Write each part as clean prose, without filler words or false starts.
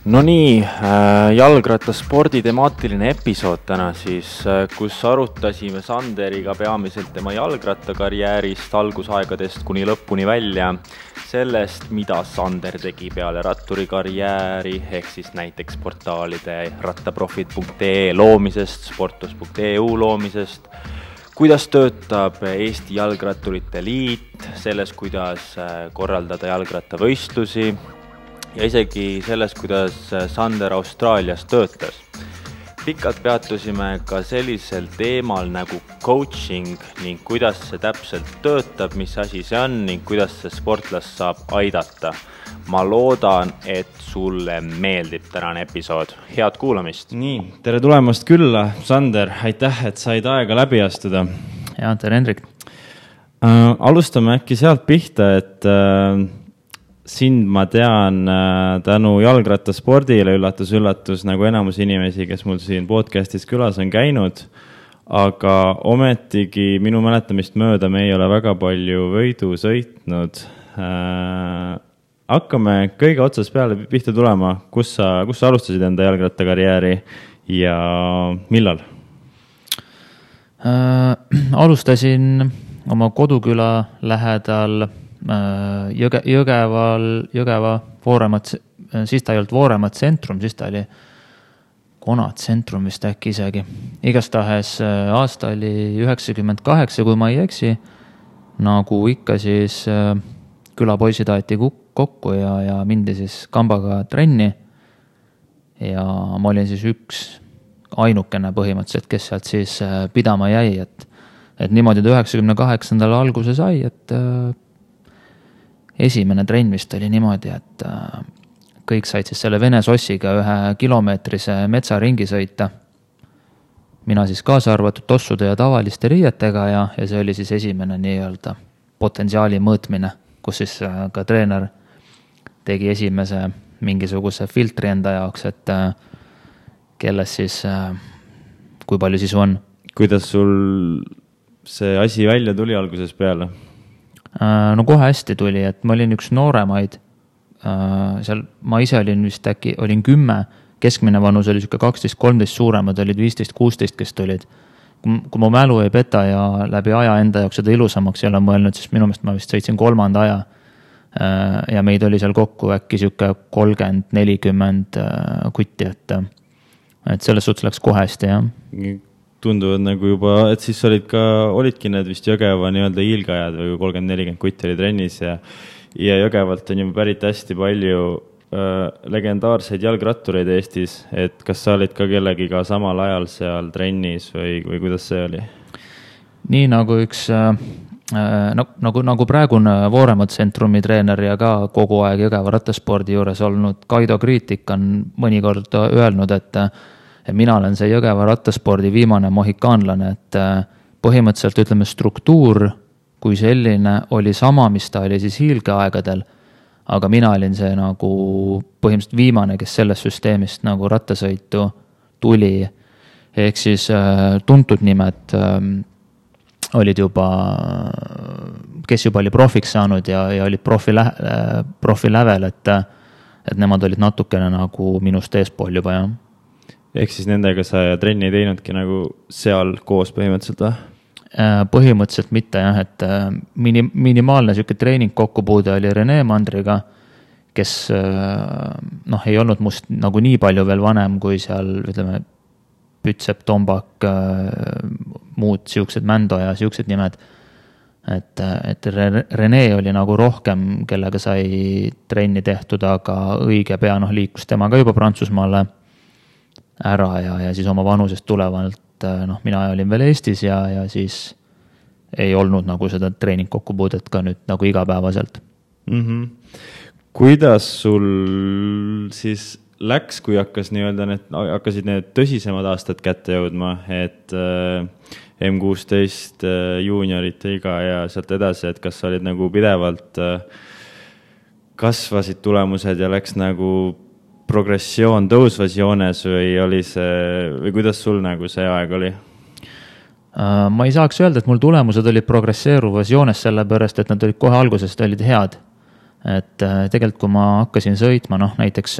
No nii, jalgrattaspordi temaatiline episood täna siis, kus arutasime Sanderiga peamiselt tema jalgrattakarjäärist algusaegadest kuni lõpuni välja, sellest, mida Sander tegi peale ratturikarjääri, ehk siis näiteks portaalide rattaprofid.ee loomisest, sportlus.eu loomisest, kuidas töötab Eesti Jalgratturite Liit, selles, kuidas korraldada jalgrattavõistlusi, ja isegi selles, kuidas Sander Austraalias töötas. Pikalt peatusime ka sellisel teemal nagu coaching ning kuidas see täpselt töötab, mis asi see on ning kuidas see sportlast saab aidata. Ma loodan, et sulle meeldib tänane episood. Head kuulamist! Nii, tere tulemast külla, Sander. Aitäh, et said aega läbi astuda. Ja, tere Hendrik. Alustame äkki sealt pihta, et sind ma tean tänu jalgrattaspordile, üllatus, nagu enamus inimesi, kes mul siin podcastis külas on käinud, aga ometigi minu mäletamist mööda me ei ole väga palju võidu sõitnud. Hakkame kõige otsas peale pihta tulema, kus sa alustasid enda jalgrattakarjääri ja millal? Alustasin oma koduküla lähedal Jõgeva Vooremat, siis ta ei olnud Vooremat tsentrum, siis ta oli Konat tsentrum vist äkki isegi. Igastahes aasta oli 98, kui ma ei eksi, nagu ikka siis külapoisid aeti kokku ja mindi siis kambaga trenni ja ma olin siis üks ainukene põhimõtteliselt, kes sealt siis pidama jäi, et niimoodi 98. alguse sai, et esimene trenn vist oli niimoodi, et kõik said siis selle Vene sossiga 1 kilomeetrise metsaringi sõita. Mina siis kaasa arvatud tossude ja tavaliste riietega ja see oli siis esimene nii-öelda potentsiaali mõõtmine, kus siis ka treener tegi esimese mingisuguse filtri enda jaoks, et kelles siis, kui palju siis on. Kuidas sul see asi välja tuli alguses peale? No kohe hästi tuli, et ma olin üks nooremaid, seal ma ise olin vist äkki, olin 10, keskmine vanus oli 12-13, suuremad olid 15-16, kes tulid. Kui ma mälu ei peta ja läbi aja enda jaoks seda ilusamaks ei ole mõelnud, siis minu meelest ma vist sõitsin 3. aja ja meid oli seal kokku äkki 30-40 kutti, et selles suhtes läks kohe hästi, jah. Tunduvad nagu juba, et siis olidki need vist Jõgeva nii-öelda hiilgajad või 30-40 kutti oli trennis ja Jõgevalt on juba pärit hästi palju legendaarseid jalgrattureid Eestis, et kas sa olid ka kellegiga samal ajal seal trennis või kuidas see oli? Nii nagu üks, nagu praegune Vooremat tsentrumi treener ja ka kogu aeg Jõgeva rattaspordi juures olnud Kaido Kriitik on mõnikord öelnud, et mina olen see Jõgeva rattaspordi viimane mohikaanlane, et põhimõtteliselt ütleme struktuur kui selline oli sama, mis ta oli siis hiilgeaegadel, aga mina olin see nagu põhimõtteliselt viimane, kes sellest süsteemist nagu rattasõitu tuli, ehk siis tuntud nimed olid juba, kes juba oli profiks saanud ja olid profi lävel, et nemad olid natukene nagu minust eespool juba, jah. Ehk siis nendega sa trenni ei teinudki nagu seal koos põhimõtteliselt või? Põhimõtteliselt mitte, jah, et minimaalne selline treening kokkupuude oli Rene Mandriga, kes ei olnud must nagu nii palju veel vanem kui seal, ütleme, Pütsep, Tombak, muud siuksed Mändo ja siuksed nimed. Et Rene oli nagu rohkem, kellega sai trenni tehtud, aga õige pea liikus temaga juba Prantsusmaale ära ja siis oma vanusest tulevalt, mina olin veel Eestis ja siis ei olnud nagu seda treening kokkupuudet ka nüüd nagu igapäevaselt. Kuidas sul siis läks, kui hakkasid need tõsisemad aastad kätte jõudma, et M16 juuniorite iga ja sealt edasi, et kas olid nagu pidevalt kasvasid tulemused ja läks nagu progressioon tõusvas joones või kuidas sul nagu see aeg oli? Ma ei saaks öelda, et mul tulemused olid progresseeruvas joones sellepärast, et nad olid kohe algusest olid head. Et tegelikult kui ma hakkasin sõitma, näiteks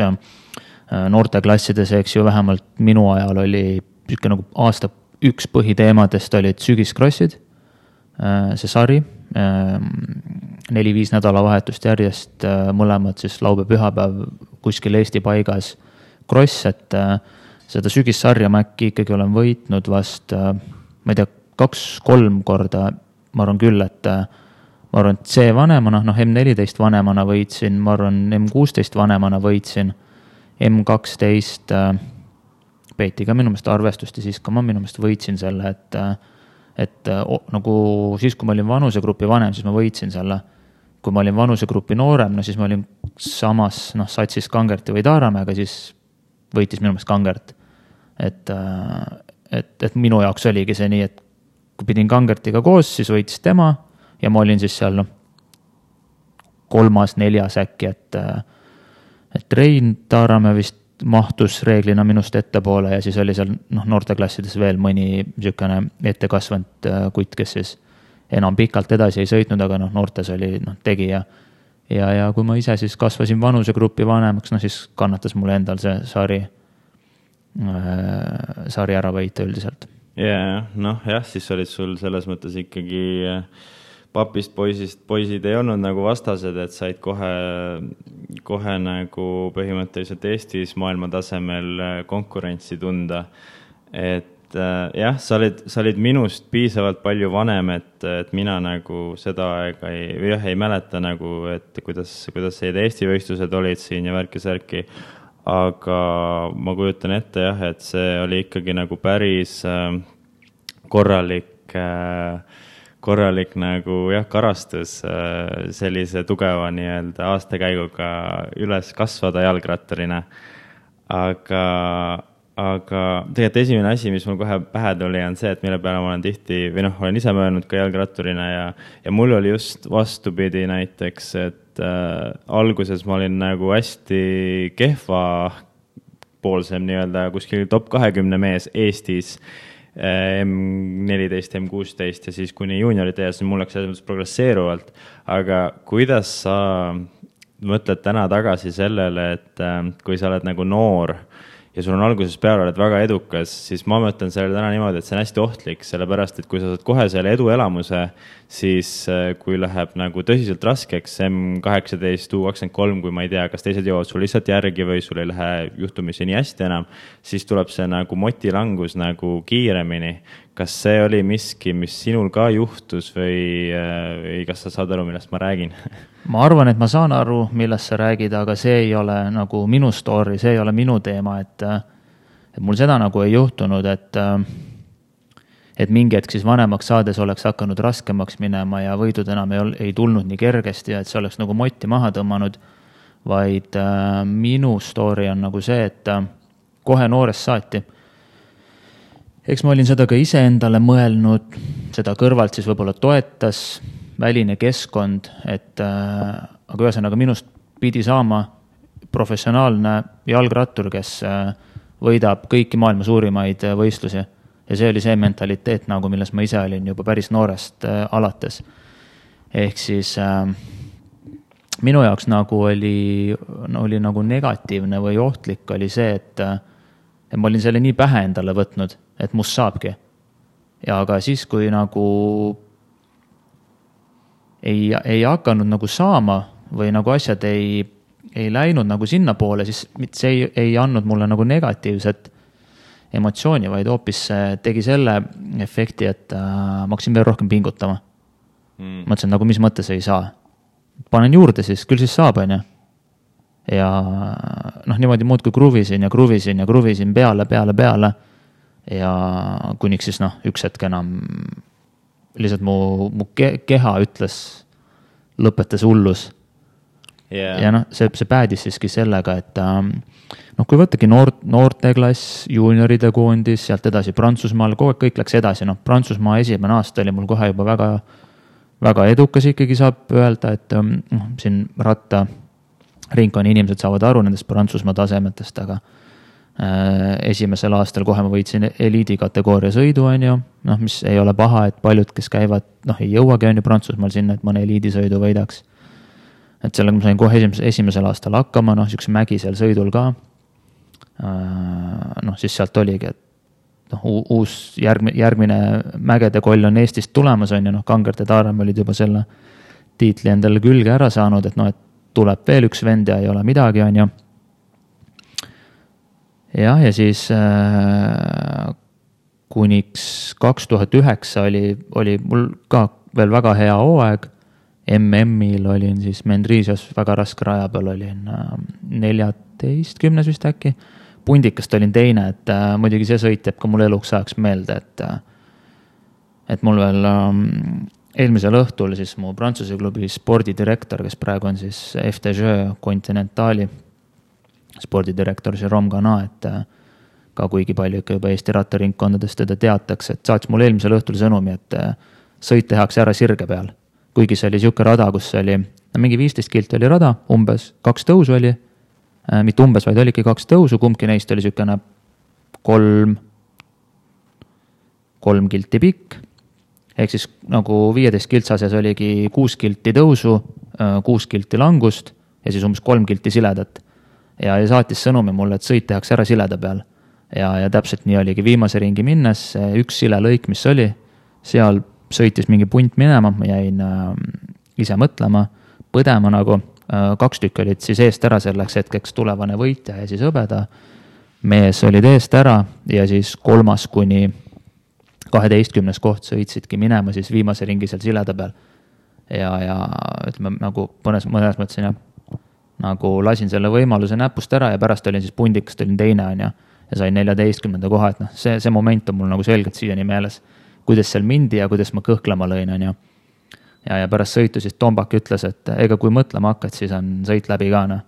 noorteklassides, eks ju, vähemalt minu ajal oli niisugune nagu aasta üks põhiteemadest olid sügiskrossid, see sari, 4-5 nädalavahetust järjest, mõlemad siis laupäev-pühapäev kuskil Eesti paigas kross, et seda sügissarja ma äkki ikkagi olen võitnud vast, ma ei tea, 2-3 korda, ma arvan küll, et ma arvan, et C vanemana, M14 vanemana võitsin, ma arvan, M16 vanemana võitsin, M12 peeti ka minu meelest arvestust ja siis ka ma minu meelest võitsin selle, et nagu siis, kui ma olin vanusegrupi vanem, siis ma võitsin selle. Kui ma olin vanusegrupi noorem, siis ma olin samas satsis Kangerti või Taaramäega, siis võitis minu meelest Kangert. Et minu jaoks oligi see nii, et kui pidin Kangertiga koos, siis võitis tema ja ma olin siis seal 3-4 äkki, et Rein Taaramäe vist mahtus reeglina minust ettepoole ja siis oli seal noorteklassides veel mõni niisugune ettekasvanud kutt, kes siis enam pikalt edasi ei sõitnud, aga noortes oli tegija. Ja kui ma ise siis kasvasin vanusegrupi vanemaks, siis kannatas mulle endal see sari ära võita üldiselt. Jah, siis olid sul selles mõttes ikkagi papist poisid ei olnud nagu vastased, et said kohe nagu põhimõtteliselt Eestis maailma tasemel konkurentsi tunda. Et jah, sa olid minust piisavalt palju vanem, et mina nagu seda aega ei mäleta nagu, et kuidas need Eesti võistlused olid siin ja värki-särki. Aga ma kujutan ette jah, et see oli ikkagi nagu päris korralik nagu jah, karastus sellise tugeva nii-öelda aastakäiguga üles kasvada jalgrattarina. Aga tegelikult esimene asi, mis mul kohe pähe tuli, on see, et mille peale ma olen tihti, või olen ise möönud ka jalgratturina ja mul oli just vastupidi näiteks, et alguses ma olin nagu hästi kehva poolsem nii-öelda kuskil top 20 mees Eestis, M14, M16 ja siis kuni juuniorite ees, mul läks selles mõttes progresseeruvalt. Aga kuidas sa mõtled täna tagasi sellele, et kui sa oled nagu noor ja sul on alguses peale oled väga edukas, siis ma mõtlen sellele täna niimoodi, et see on hästi ohtlik, sellepärast, et kui sa saad kohe selle eduelamuse, siis kui läheb nagu tõsiselt raskeks M18, U23, kui ma ei tea, kas teised jõuavad sul lihtsalt järgi või sul ei lähe juhtumisi nii hästi enam, siis tuleb see nagu motilangus nagu kiiremini. Kas see oli miski, mis sinul ka juhtus või kas sa saad aru, millest ma räägin? Ma arvan, et ma saan aru, millest sa räägid, aga see ei ole nagu minu story, see ei ole minu teema, et mul seda nagu ei juhtunud, et mingi hetk siis vanemaks saades oleks hakanud raskemaks minema ja võidud enam ei tulnud nii kergesti ja et see oleks nagu motti maha tõmmanud, vaid minu story on nagu see, et kohe noorest saati. Eks ma olin seda ka ise endale mõelnud, seda kõrvalt siis võib-olla toetas väline keskkond, aga ühesõnaga minust pidi saama professionaalne jalgrattur, kes võidab kõiki maailma suurimaid võistlusi. Ja see oli see mentaliteet, nagu milles ma ise olin juba päris noorest alates. Ehk siis minu jaoks nagu oli nagu negatiivne või ohtlik oli see, et ma olin selle nii pähe endale võtnud, et must saabki. Ja aga siis, kui nagu ei hakanud nagu saama või nagu asjad ei läinud nagu sinna poole, siis see ei andnud mulle nagu negatiivset emotsiooni, vaid hoopis tegi selle efekti, et ma hakkasin veel rohkem pingutama. Mõtlesin, nagu mis mõttes ei saa. Panen juurde siis, küll siis saab, on ju. Ja niimoodi muud kui kruvisin peale. Ja kuniks siis üks hetk enam lihtsalt mu keha ütles, lõpetas hullus. Yeah. Ja see päädis siiski sellega, et kui võttagi noorteklass, juunioride koondis, sealt edasi Prantsusmaal, kõik läks edasi. Prantsusmaa esimene aasta oli mul kohe juba väga, väga edukas ikkagi saab öelda, et siin ratta ringkonna inimesed saavad aru nendest Prantsusmaa tasemetest, aga esimesel aastal kohe ma võitsin eliidi kategooria sõidu, on ju, mis ei ole paha, et paljud, kes käivad, ei jõuagi on ju Prantsusmaal sinna, et mõne eliidisõidu võidaks. Et sellega ma sain kohe esimesel aastal hakkama, niisuguse mägisel sõidul ka. noh, siis sealt oligi, et noh, uus järgmine mägede koll on Eestist tulemas, on ju, noh, Kangert ja Taarem olid juba selle tiitli endale külge ära saanud, et noh, et tuleb veel üks vend ja ei ole midagi, on ju. Ja siis kuniks 2009 oli mul ka veel väga hea hooaeg. MM-il olin siis Mendrisios väga raske raja peal, olin 14 vist äkki. Pundikast olin teine, et muidugi see sõit jääb ka mul eluks ajaks meelde, et mul veel eelmisel õhtul siis mu Prantsuse klubi spordidirektor, kes praegu on siis FDJ Continentali spordidirektor Jérôme Gana, et ka kuigi palju ikka juba Eesti rattaringkondadest teda teatakse, et saatis mul eelmisel õhtul sõnumi, et sõit tehakse ära sirge peal. Kuigi see oli siuke rada, kus oli mingi 15 kilti oli rada, umbes 2 tõusu oli, mitte umbes, vaid oligi 2 tõusu, kumbki neist oli siukene 3 kilti pikk, ehk siis nagu 15 kiltsases oligi 6 kilti tõusu, 6 kilti langust ja siis umbes 3 kilti siledat. Ja saatis sõnumi mulle, et sõit tehakse ära sileda peal. Ja täpselt nii oligi viimase ringi minnes, üks sile lõik, mis oli, seal sõitis mingi punt minema, ma jäin ise mõtlema, põdema nagu, 2 tükki olid siis eest ära selleks hetkeks tulevane võitja ja siis hõbeda. Mees olid eest ära ja siis 3. kuni 12. koht sõitsidki minema siis viimase ringi seal sileda peal. Ja ütleme nagu mõnes mõttes nagu lasin selle võimaluse näpust ära ja pärast olin siis pundikast, olin teine on ja sain 14. koha, et noh, see moment on mul nagu selgelt siiani meeles, kuidas seal mindi ja kuidas ma kõhklema lõin on ja pärast sõitu siis Tombak ütles, et ega kui mõtlema hakkad, siis on sõit läbi ka noh.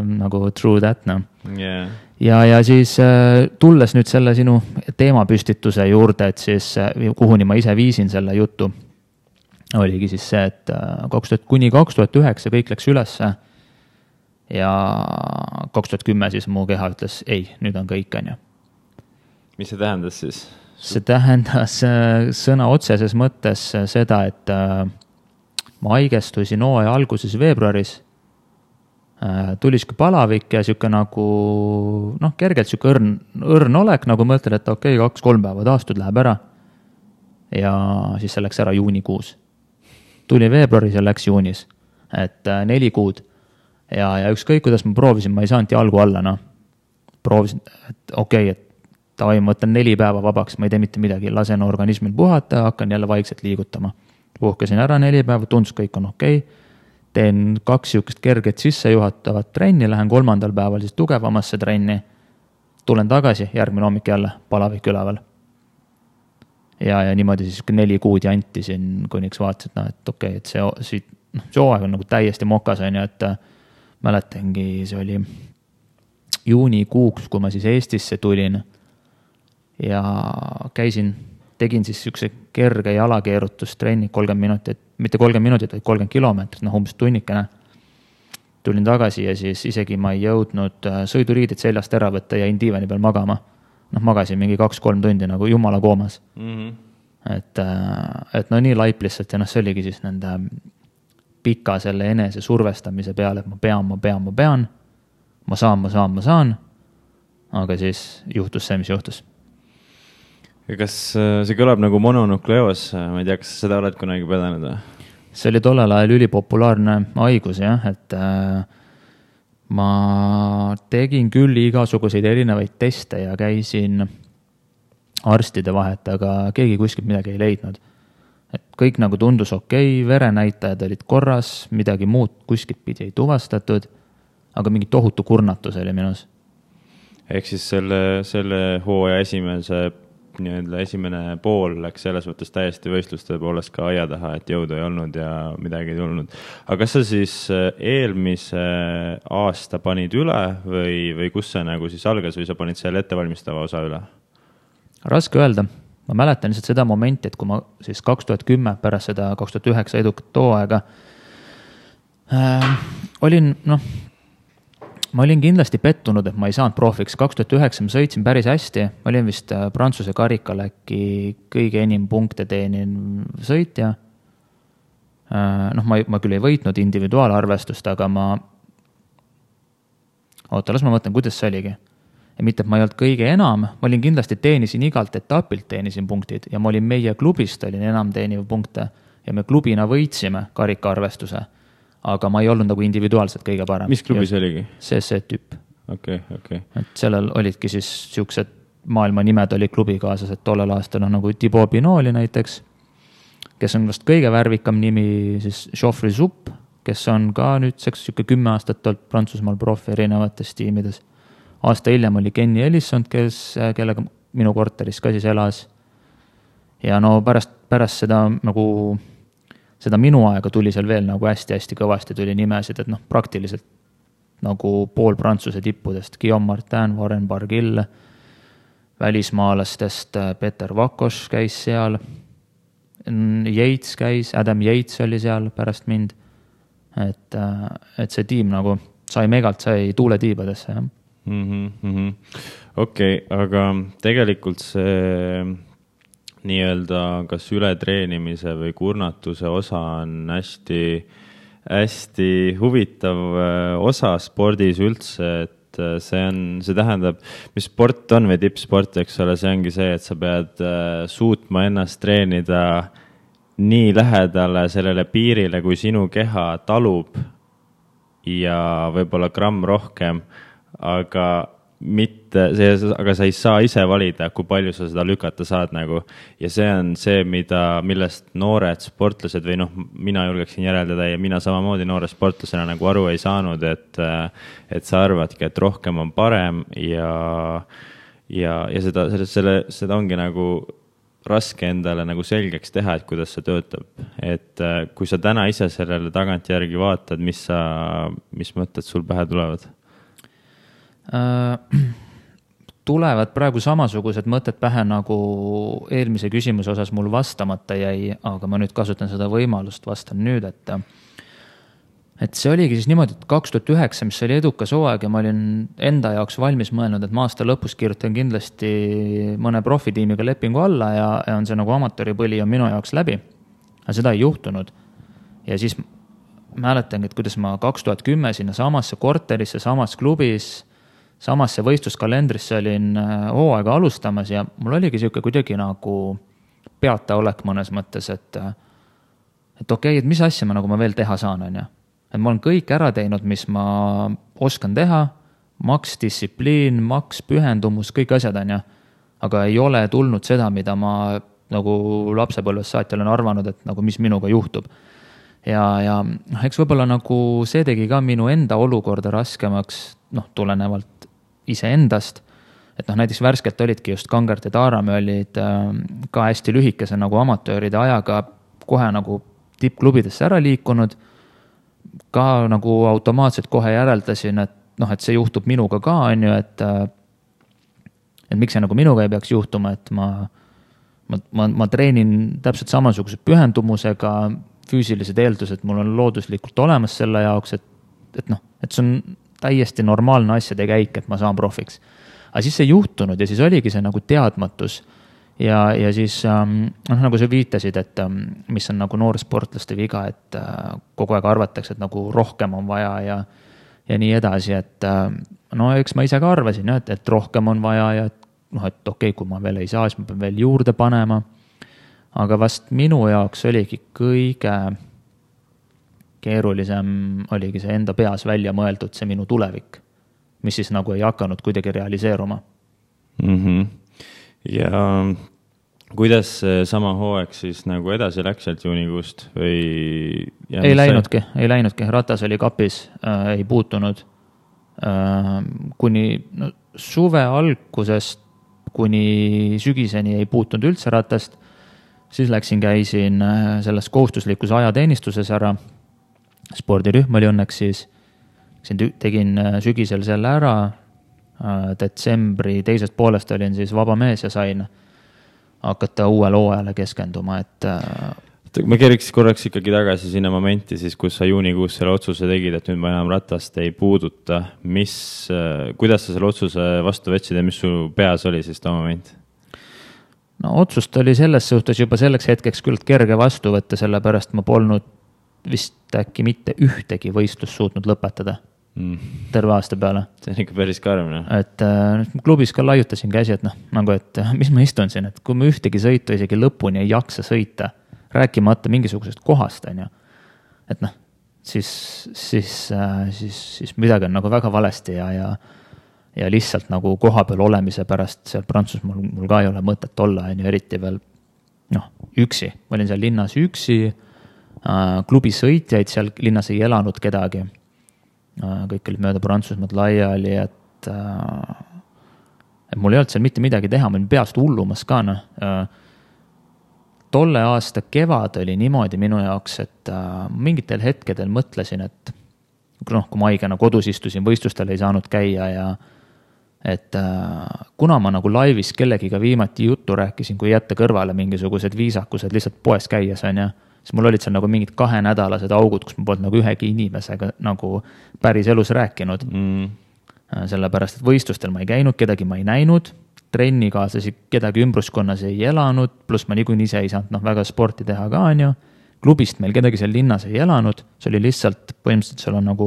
Nagu true that noh. Yeah. Ja siis tulles nüüd selle sinu teemapüstituse juurde, et siis kuhuni ma ise viisin selle jutu, oligi siis see, et kuni 2009 kõik läks ülesse ja 2010 siis mu keha ütles, ei, nüüd on kõik, on ju. Mis see tähendas siis? See tähendas sõna otseses mõttes seda, et ma haigestusin hooaja alguses veebruaris, tuli siuke palavik ja siuke nagu, noh, kergelt siuke õrn olek, nagu mõtled, et okei, 2-3 päeva taastud, läheb ära. Ja siis see läks ära juunikuus. Tuli veebruaris ja läks juunis, et 4 kuud. Ja ükskõik, kuidas ma proovisin, ma ei saanud jalgu alla, noh. Proovisin, et okei, et ma võtan 4 päeva vabaks, ma ei tee mitte midagi, lasen organismil puhata, hakkan jälle vaikselt liigutama. Puhkasin ära 4 päeva, tundus kõik on okei. Teen 2 siukest kerget sissejuhatavat trenni, lähen 3. päeval siis tugevamasse trenni. Tulen tagasi, järgmine hommik jälle, palavik üleval. Ja niimoodi siis 4 kuud jantisin, kuniks vaatasin, et okei, et see hooaeg on nagu täiesti mokas, on ju, et mäletangi, see oli juunikuuks, kui ma siis Eestisse tulin ja tegin siis siukse kerge jalakeerutustrenni 30 minutit, mitte 30 minutit, vaid 30 kilomeetrit, noh umbes tunnikene. Tulin tagasi ja siis isegi ma ei jõudnud sõiduriidid seljast ära võtta ja jäin diivani peal magama. Noh, magasin mingi 2-3 tundi nagu jumala koomas. Et no nii laip lihtsalt ja noh, see oligi siis nende pika selle enese survestamise peale, et ma pean, ma saan, aga siis juhtus see, mis juhtus. Ja kas see kõlab nagu mononukleoos, ma ei tea, kas seda oled kunagi põdenud? See oli tollel ajal ülipopulaarne haigus, jah, et ma tegin küll igasuguseid erinevaid teste ja käisin arstide vahet, aga keegi kuskilt midagi ei leidnud. Et kõik nagu tundus okei, verenäitajad olid korras, midagi muud kuskilt pidi ei tuvastatud, aga mingi tohutu kurnatus oli minus. Ehk siis selle hooaja esimene pool läks selles võttes täiesti võistluste poolest ka aia taha, et jõudu ei olnud ja midagi ei tulnud. Aga kas sa siis eelmise aasta panid üle või kus see nagu siis algas või sa panid selle ettevalmistava osa üle? Raske öelda. Ma mäletan lihtsalt seda momenti, et kui ma siis 2010 pärast seda 2009 edukat hooaega ma olin kindlasti pettunud, et ma ei saanud profiks. 2009 ma sõitsin päris hästi. Ma olin vist Prantsuse karikal äkki kõige enim punkte teenin sõitja. Ma küll ei võitnud individuaalarvestust, aga las ma mõtlen, kuidas see oligi. ja mitte, et ma ei olnud kõige enam, ma olin kindlasti, teenisin igalt etapilt, teenisin punktid ja ma olin meie klubist, olin enam teeniv punkte ja me klubina võitsime karikaarvestuse, aga ma ei olnud nagu individuaalselt kõige parem. Mis klubis oligi? CC tüüp. Okay. Et sellel olidki siis siuksed maailma nimed oli klubikaaslased tollel aastal, nagu Thibaut Pinot oli näiteks, kes on vast kõige värvikam nimi, siis Geoffrey Zupp, kes on ka nüüdseks 10 aastat olnud Prantsusmaal profi erinevates tiimides. Aasta hiljem oli Kenny Ellison, kellega minu korteris ka siis elas. Ja no pärast seda nagu seda minu aega tuli seal veel nagu hästi-hästi kõvasti tuli nimesid, et praktiliselt nagu pool Prantsuse tippudest, Guillaume Martin, Warren Barguil, välismaalastest Peter Vakos käis seal, Yates käis, Adam Yates oli seal pärast mind, et see tiim nagu sai tuule tiibadesse, jah. Okei, aga tegelikult see nii-öelda kas ületreenimise või kurnatuse osa on hästi huvitav osa spordis üldse, et see tähendab, mis sport on või tippsport, eks ole, see ongi see, et sa pead suutma ennast treenida nii lähedale sellele piirile, kui sinu keha talub ja võib-olla gramm rohkem, aga sa ei saa ise valida, kui palju sa seda lükata saad nagu. Ja see on see, millest noored sportlased või mina julgeksin järeldada ja mina samamoodi noore sportlasena nagu aru ei saanud, et sa arvadki, et rohkem on parem ja seda ongi nagu raske endale nagu selgeks teha, et kuidas see töötab. Et kui sa täna ise sellele tagantjärgi vaatad, mis mõtted sul pähe tulevad? Tulevad praegu samasugused mõtted pähe, nagu eelmise küsimuse osas mul vastamata jäi, aga ma nüüd kasutan seda võimalust, vastan nüüd, et see oligi siis niimoodi, et 2009, mis oli edukas hooaeg ja ma olin enda jaoks valmis mõelnud, et ma aasta lõpus kirjutan kindlasti mõne profitiimiga lepingu alla ja on see nagu amatööripõli on minu jaoks läbi. Aga seda ei juhtunud. Ja siis mäletangi, et kuidas ma 2010 sinna samasse korterisse, samas klubis, samasse võistluskalendrisse olin hooaega alustamas ja mul oligi siuke kuidagi nagu peataolek mõnes mõttes, et okei, et mis asja ma veel teha saan, on ja. Et ma olen kõik ära teinud, mis ma oskan teha, maks distsipliin, maks pühendumus, kõik asjad, on ja. Aga ei ole tulnud seda, mida ma nagu lapsepõlves saati olen arvanud, et nagu mis minuga juhtub. Ja eks võib-olla nagu see tegi ka minu enda olukorda raskemaks, tulenevalt iseendast, et näiteks värskelt olidki just Kangert ja Taaramäe olid ka hästi lühikese nagu amatööride ajaga kohe nagu tippklubidesse ära liikunud, ka nagu automaatselt kohe järeldasin, et see juhtub minuga ka, on ju, et miks see nagu minuga ei peaks juhtuma, et ma treenin täpselt samasuguse pühendumusega, füüsilised eeldused mul on looduslikult olemas selle jaoks, et see on täiesti normaalne asjade käik, et ma saan profiks. Aga siis see juhtunud ja siis oligi see nagu teadmatus ja siis nagu sa viitasid, et mis on nagu noorsportlaste viga, et kogu aeg arvatakse, et nagu rohkem on vaja ja nii edasi, et eks ma ise ka arvasin, et rohkem on vaja ja et okei, kui ma veel ei saa, siis ma pean veel juurde panema. Aga vast minu jaoks oligi kõige keerulisem oligi see enda peas välja mõeldud, see minu tulevik, mis siis nagu ei hakanud kuidagi realiseeruma. Ja kuidas sama hooaeg siis nagu edasi läks sealt juunikuust või? Ei läinudki, ratas oli kapis, ei puutunud. Kuni suve algusest kuni sügiseni ei puutunud üldse ratast, siis käisin selles kohustuslikus ajateenistuses ära. Spordirühm oli õnneks siis, tegin sügisel selle ära, detsembri teisest poolest olin siis vaba mees ja sain hakata uuele hooajale keskenduma, et ma keeriks korraks ikkagi tagasi sinna momenti, siis kus sa juunikuus selle otsuse tegid, et nüüd ma enam ratast ei puuduta. Kuidas sa selle otsuse vastu võtsid ja mis su peas oli siis too moment? Otsust oli selles suhtes juba selleks hetkeks küll kerge vastu võtta, sellepärast ma polnud vist äkki mitte ühtegi võistlust suutnud lõpetada. terve aasta peale. See on ikka päris karm. Et klubis ka laiutasin käsi, et nagu, et mis ma istun siin, et kui ma ühtegi sõitu isegi lõpuni ei jaksa sõita, rääkimata mingisugusest kohast, on ju. Et siis midagi on nagu väga valesti ja lihtsalt nagu koha peal olemise pärast seal Prantsusmaal mul ka ei ole mõtet olla, on ju, eriti veel üksi. Ma olin seal linnas üksi, klubi sõitjaid seal linnas ei elanud kedagi. Kõik olid mööda Prantsusmaad laiali, et mul ei olnud seal mitte midagi teha, ma olin peast hullumas ka. Tolle aasta kevad oli niimoodi minu jaoks, et mingitel hetkedel mõtlesin, et kui ma haigena kodus istusin, võistlustel ei saanud käia ja et kuna ma nagu laivis kellegiga viimati juttu rääkisin, kui jätta kõrvale mingisugused viisakused lihtsalt poes käies, on ja siis mul olid seal nagu mingid 2-nädalased augud, kus ma polnud nagu ühegi inimesega nagu päris elus rääkinud. Sellepärast, et võistlustel ma ei käinud, kedagi ma ei näinud, trennikaaslasi kedagi ümbruskonnas ei elanud, pluss ma niikuinii ise ei saanud väga sporti teha ka, on ju. Klubist meil kedagi seal linnas ei elanud, see oli lihtsalt, põhimõtteliselt seal on nagu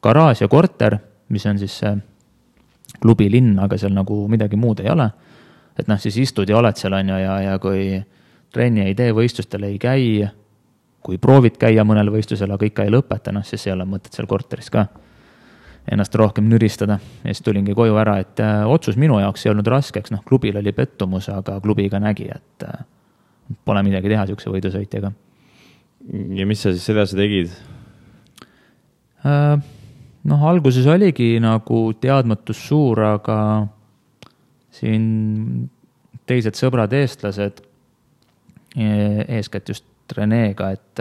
garaaž ja korter, mis on siis klubi linn, aga seal nagu midagi muud ei ole. Et siis istud ja oled seal, on ju, ja kui trenni ei tee, võistlustel ei käi, kui proovid käia mõnel võistlusel, aga ikka ei lõpeta, siis ei ole mõtet seal korteris ka ennast rohkem nüristada. Ja siis tulingi koju ära, et otsus minu jaoks ei olnud raskeks, klubil oli pettumus, aga klubi ka nägi, et pole midagi teha siukse võidusõitjaga. Ja mis sa siis edasi tegid? Alguses oligi nagu teadmatus suur, aga siin teised sõbrad eestlased, eeskätt just Reneega, et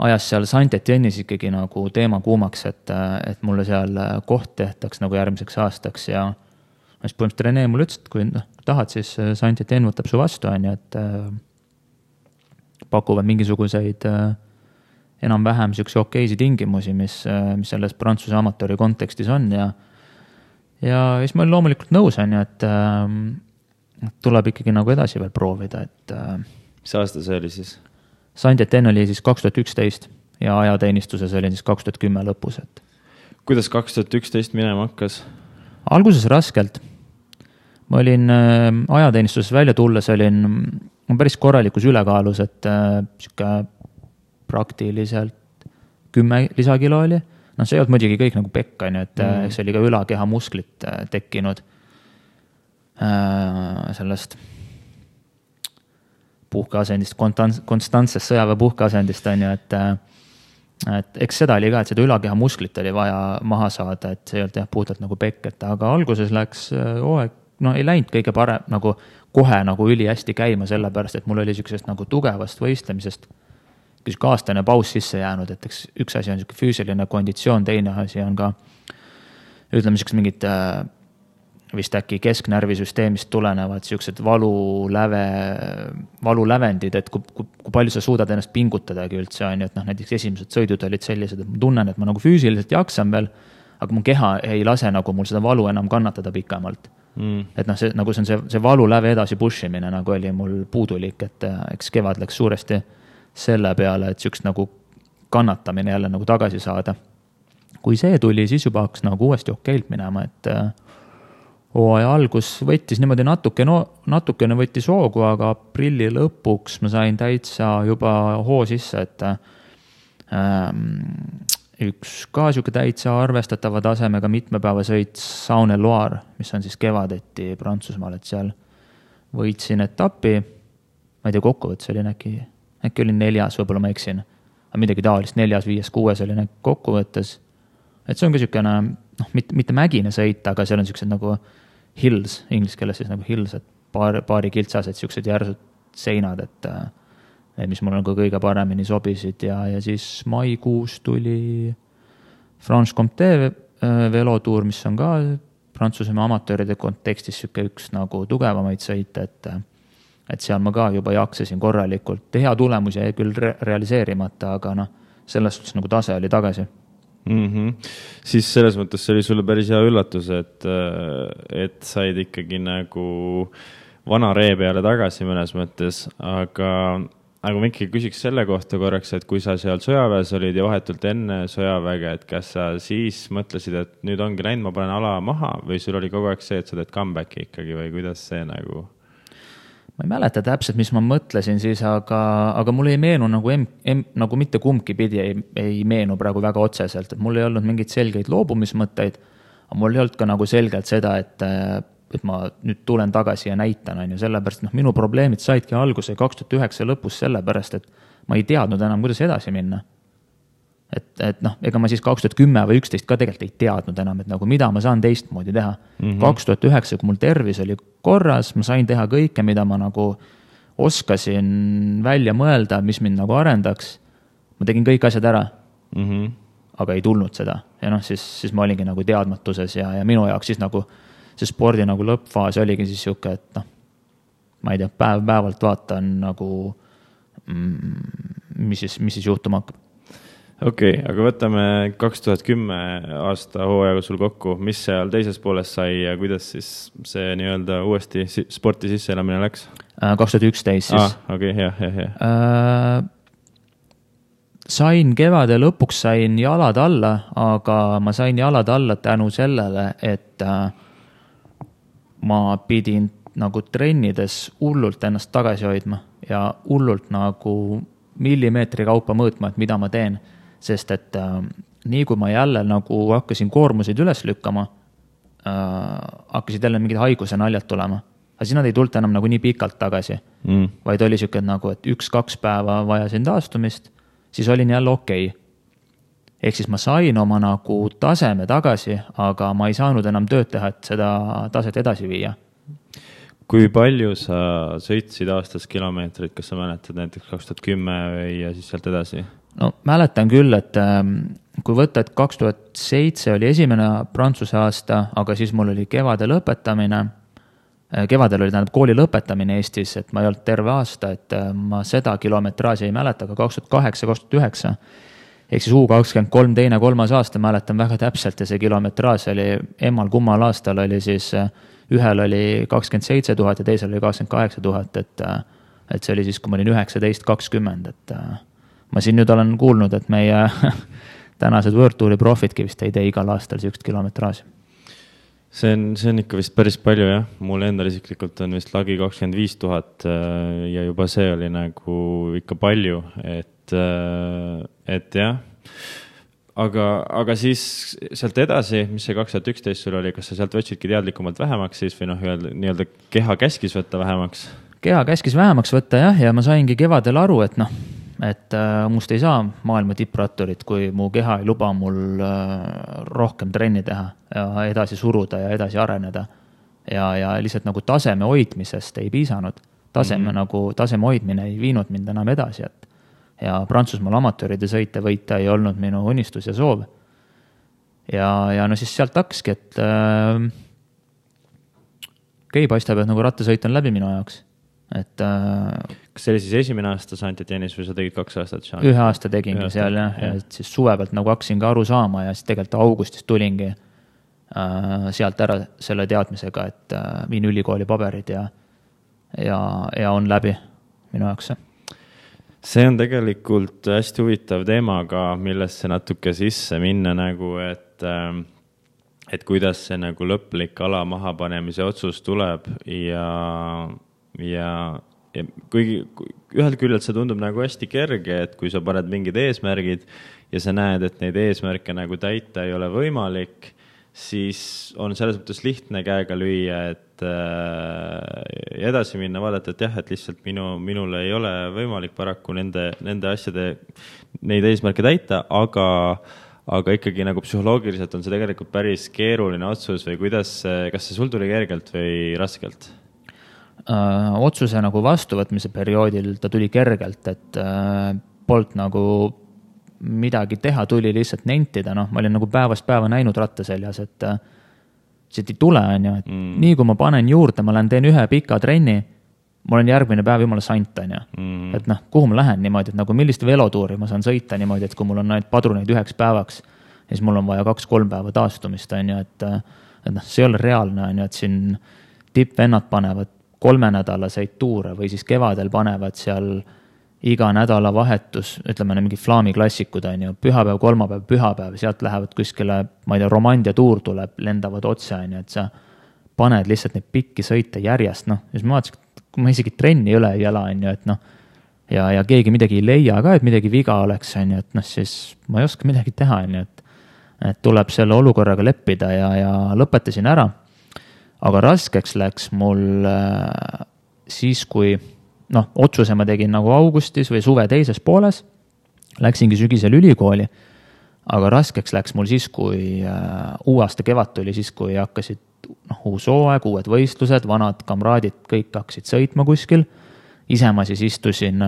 ajas seal Saint-Etienne'is ikkagi nagu teema kuumaks, et mulle seal koht tehtaks nagu järgmiseks aastaks ja siis põhimõtteliselt Rene mulle ütles, et kui tahad, siis Saint-Etienne võtab su vastu, on ju, et pakuvad mingisuguseid enam-vähem siukse okeisi tingimusi, mis selles Prantsuse amatööri kontekstis on ja siis ma olin loomulikult nõus, on ju, et tuleb ikkagi nagu edasi veel proovida, et mis aasta see oli siis? Saint-Etienne oli siis 2011 ja ajateenistuses oli siis 2010 lõpus. Et kuidas 2011 minema hakkas? Alguses raskelt. Ma olin ajateenistuses välja tulles, olin päris korralikus ülekaalus, et praktiliselt 10 lisakilo oli. See ei olnud muidugi kõik nagu pekka, et see oli ka ülakeha musklit tekkinud sellest puhkeasendist, konstantsest sõjaväe puhkeasendist, on ju, et eks seda oli ka, et seda ülakeha musklit oli vaja maha saada, et see ei olnud puhtalt nagu pekk, et aga alguses läks hooaeg, ei läinud kõige parem nagu kohe nagu üli hästi käima, sellepärast, et mul oli siuksest nagu tugevast võistlemisest aastane paus sisse jäänud, et üks asi on füüsiline konditsioon, teine asi on ka ütleme siuksed mingid vist äkki kesknärvisüsteemist tulenevad siuksed valulävendid, et kui palju sa suudad ennast pingutadagi üldse, on ju, et näiteks esimesed sõidud olid sellised, et ma tunnen, et ma nagu füüsiliselt jaksan veel, aga mu keha ei lase nagu mul seda valu enam kannatada pikemalt. Et see valuläve edasi pushimine nagu oli mul puudulik, et eks kevad läks suuresti selle peale, et siukest nagu kannatamine jälle nagu tagasi saada. Kui see tuli, siis juba hakkas nagu uuesti okeilt minema, et hooaja algus võttis niimoodi natukene võttis hoogu, aga aprilli lõpuks ma sain täitsa juba hoo sisse, et üks ka siuke täitsa arvestatava tasemega mitmepäevasõit Saône-et-Loire, mis on siis kevadeti Prantsusmaal, et seal võitsin etapi, ma ei tea, kokkuvõttes oli äkki oli 4, võib-olla ma eksin, aga midagi taolist 4, 5, 6 oli kokkuvõttes, et see on ka siukene mitte mägine sõit, aga seal on siuksed nagu hills, inglise keeles siis nagu hills, et paari kiltsased siuksed järsud seinad, et mis mul nagu kõige paremini sobisid ja siis maikuus tuli Franche-Comté velotuur, mis on ka Prantsusmaa amatööride kontekstis siuke üks nagu tugevamaid sõite, et seal ma ka juba jaksasin korralikult. Hea tulemus jäi küll realiseerimata, aga selles suhtes nagu tase oli tagasi. Siis selles mõttes see oli sulle päris hea üllatus, et said ikkagi nagu vana ree peale tagasi mõnes mõttes, aga aga ma ikkagi küsiks selle kohta korraks, et kui sa seal sõjaväes olid ja vahetult enne sõjaväge, et kas sa siis mõtlesid, et nüüd ongi läinud, ma panen ala maha või sul oli kogu aeg see, et sa teed comeback'i ikkagi või kuidas see nagu? Ma ei mäleta täpselt, mis ma mõtlesin siis, aga mul ei meenu nagu mitte kumbki pidi ei meenu praegu väga otseselt, et mul ei olnud mingeid selgeid loobumismõtteid, aga mul ei olnud ka nagu selgelt seda, et ma nüüd tulen tagasi ja näitan, on ju, sellepärast, minu probleemid saidki alguse 2009 lõpus sellepärast, et ma ei teadnud enam, kuidas edasi minna. Ega ma siis 2010 või 2011 ka tegelikult ei teadnud enam, et nagu mida ma saan teistmoodi teha. 2009, kui mul tervis oli korras, ma sain teha kõike, mida ma nagu oskasin välja mõelda, mis mind nagu arendaks. Ma tegin kõik asjad ära, aga ei tulnud seda. Ja siis ma olingi nagu teadmatuses ja minu jaoks siis nagu see spordi nagu lõppfaas oligi siis siuke, et ma ei tea, päevalt vaatan nagu, mis siis juhtuma hakkab. Okei, aga võtame 2010 aasta hooajaga sul kokku, mis seal teises pooles sai ja kuidas siis see nii-öelda uuesti sporti sisseelamine läks? 2011 siis. Okei, hea. Sain kevade lõpuks jalad alla, aga ma sain jalad alla tänu sellele, et ma pidin nagu trennides hullult ennast tagasi hoidma ja hullult nagu millimeetri kaupa mõõtma, et mida ma teen. Sest et nii kui ma jälle nagu hakkasin koormuseid üles lükkama, hakkasid jälle mingid haiguse naljad tulema. Aga siis nad ei tulnud enam nagu nii pikalt tagasi, vaid oli siuke nagu, et 1-2 päeva vajasin taastumist, siis olin jälle okei. Ehk siis ma sain oma nagu taseme tagasi, aga ma ei saanud enam tööd teha, et seda taset edasi viia. Kui palju sa sõitsid aastas kilomeetrit, kas sa mäletad näiteks 2010 või ja siis sealt edasi? No mäletan küll, et kui võtta, et 2007 oli esimene Prantsuse aasta, aga siis mul oli kevadel lõpetamine. Kevadel oli kooli lõpetamine Eestis, et ma ei olnud terve aasta, et ma seda kilometraaži ei mäleta, aga 2008-2009. Ehk siis U23 teine 3. aasta mäletan väga täpselt ja see kilometraaž oli kummal aastal oli siis, ühel oli 27 000 ja teisel oli 28 000, et see oli siis, kui ma olin 19-20, et ma siin nüüd olen kuulnud, et meie tänased World Touri profitki vist ei tee igal aastal sihukest kilometraaži. See on ikka vist päris palju, jah. Mul endal isiklikult on vist lagi 25 000 ja juba see oli nagu ikka palju, et jah. Aga siis sealt edasi, mis see 2011 sul oli, kas sa sealt võtsidki teadlikumalt vähemaks siis või nii-öelda keha käskis võtta vähemaks? Keha käskis vähemaks võtta, jah, ja ma saingi kevadel aru, et must ei saa maailma tippratturit, kui mu keha ei luba mul rohkem trenni teha ja edasi suruda ja edasi areneda. Ja lihtsalt nagu taseme hoidmisest ei piisanud. Taseme hoidmine ei viinud mind enam edasi. Ja Prantsusmaal amatööride sõite võita ei olnud minu unistus ja soov. Ja siis sealt hakkaski, et paistab, et nagu rattasõit on läbi minu jaoks. Kas see oli siis esimene aasta Saint-Étienne'is või sa tegid 2 aastat? 1 aasta tegingi seal ja siis suve pealt nagu hakkasin ka aru saama ja siis tegelikult augustis tulingi sealt ära selle teadmisega, et viin ülikooli paberid ja on läbi minu jaoks. See on tegelikult hästi huvitav teemaga, millesse natuke sisse minna nagu, et kuidas see nagu lõplik ala mahapanemise otsus tuleb ja kuigi ühelt küljelt see tundub nagu hästi kerge, et kui sa paned mingid eesmärgid ja sa näed, et neid eesmärke nagu täita ei ole võimalik, siis on selles mõttes lihtne käega lüüa, et edasi minna, vaadata, et jah, et lihtsalt minul ei ole võimalik paraku nende asjade, neid eesmärke täita, aga ikkagi nagu psühholoogiliselt on see tegelikult päris keeruline otsus või kas see sul tuli kergelt või raskelt? Otsuse nagu vastuvõtmise perioodil ta tuli kergelt, et polnud nagu midagi teha, tuli lihtsalt nentida, ma olin nagu päevast päeva näinud rattaseljas, et see ei tule, on ju, et nii kui ma panen juurde, ma teen 1 pika trenni, ma olen järgmine päev jumala sant, on ju, et kuhu ma lähen niimoodi, et nagu millist velotuuri ma saan sõita niimoodi, et kui mul on ainult padruneid 1 päevaks, siis mul on vaja 2-3 päeva taastumist, on ju, et see ei ole reaalne, on ju, et siin tippvennad panevad 3-nädalaseid tuure või siis kevadel panevad seal iga nädalavahetus, ütleme mingi Flaami klassikud on ju, pühapäev, kolmapäev, pühapäev, sealt lähevad kuskile, ma ei tea, Romandia tuur tuleb, lendavad otse on ju, et sa paned lihtsalt neid pikki sõite järjest, noh, siis ma vaatasin, kui ma isegi trenni üle ei ela on ju, et noh, ja keegi midagi ei leia ka, et midagi viga oleks on ju, et noh, siis ma ei oska midagi teha on ju, et tuleb selle olukorraga leppida ja lõpetasin ära. Aga raskeks läks mul siis, kui otsuse ma tegin nagu augustis või suve teises pooles, läksingi sügisel ülikooli, aga raskeks läks mul siis, kui uue aasta kevad tuli, siis kui hakkasid uus hooaeg, uued võistlused, vanad kamraadid, kõik hakkasid sõitma kuskil. Ise ma siis istusin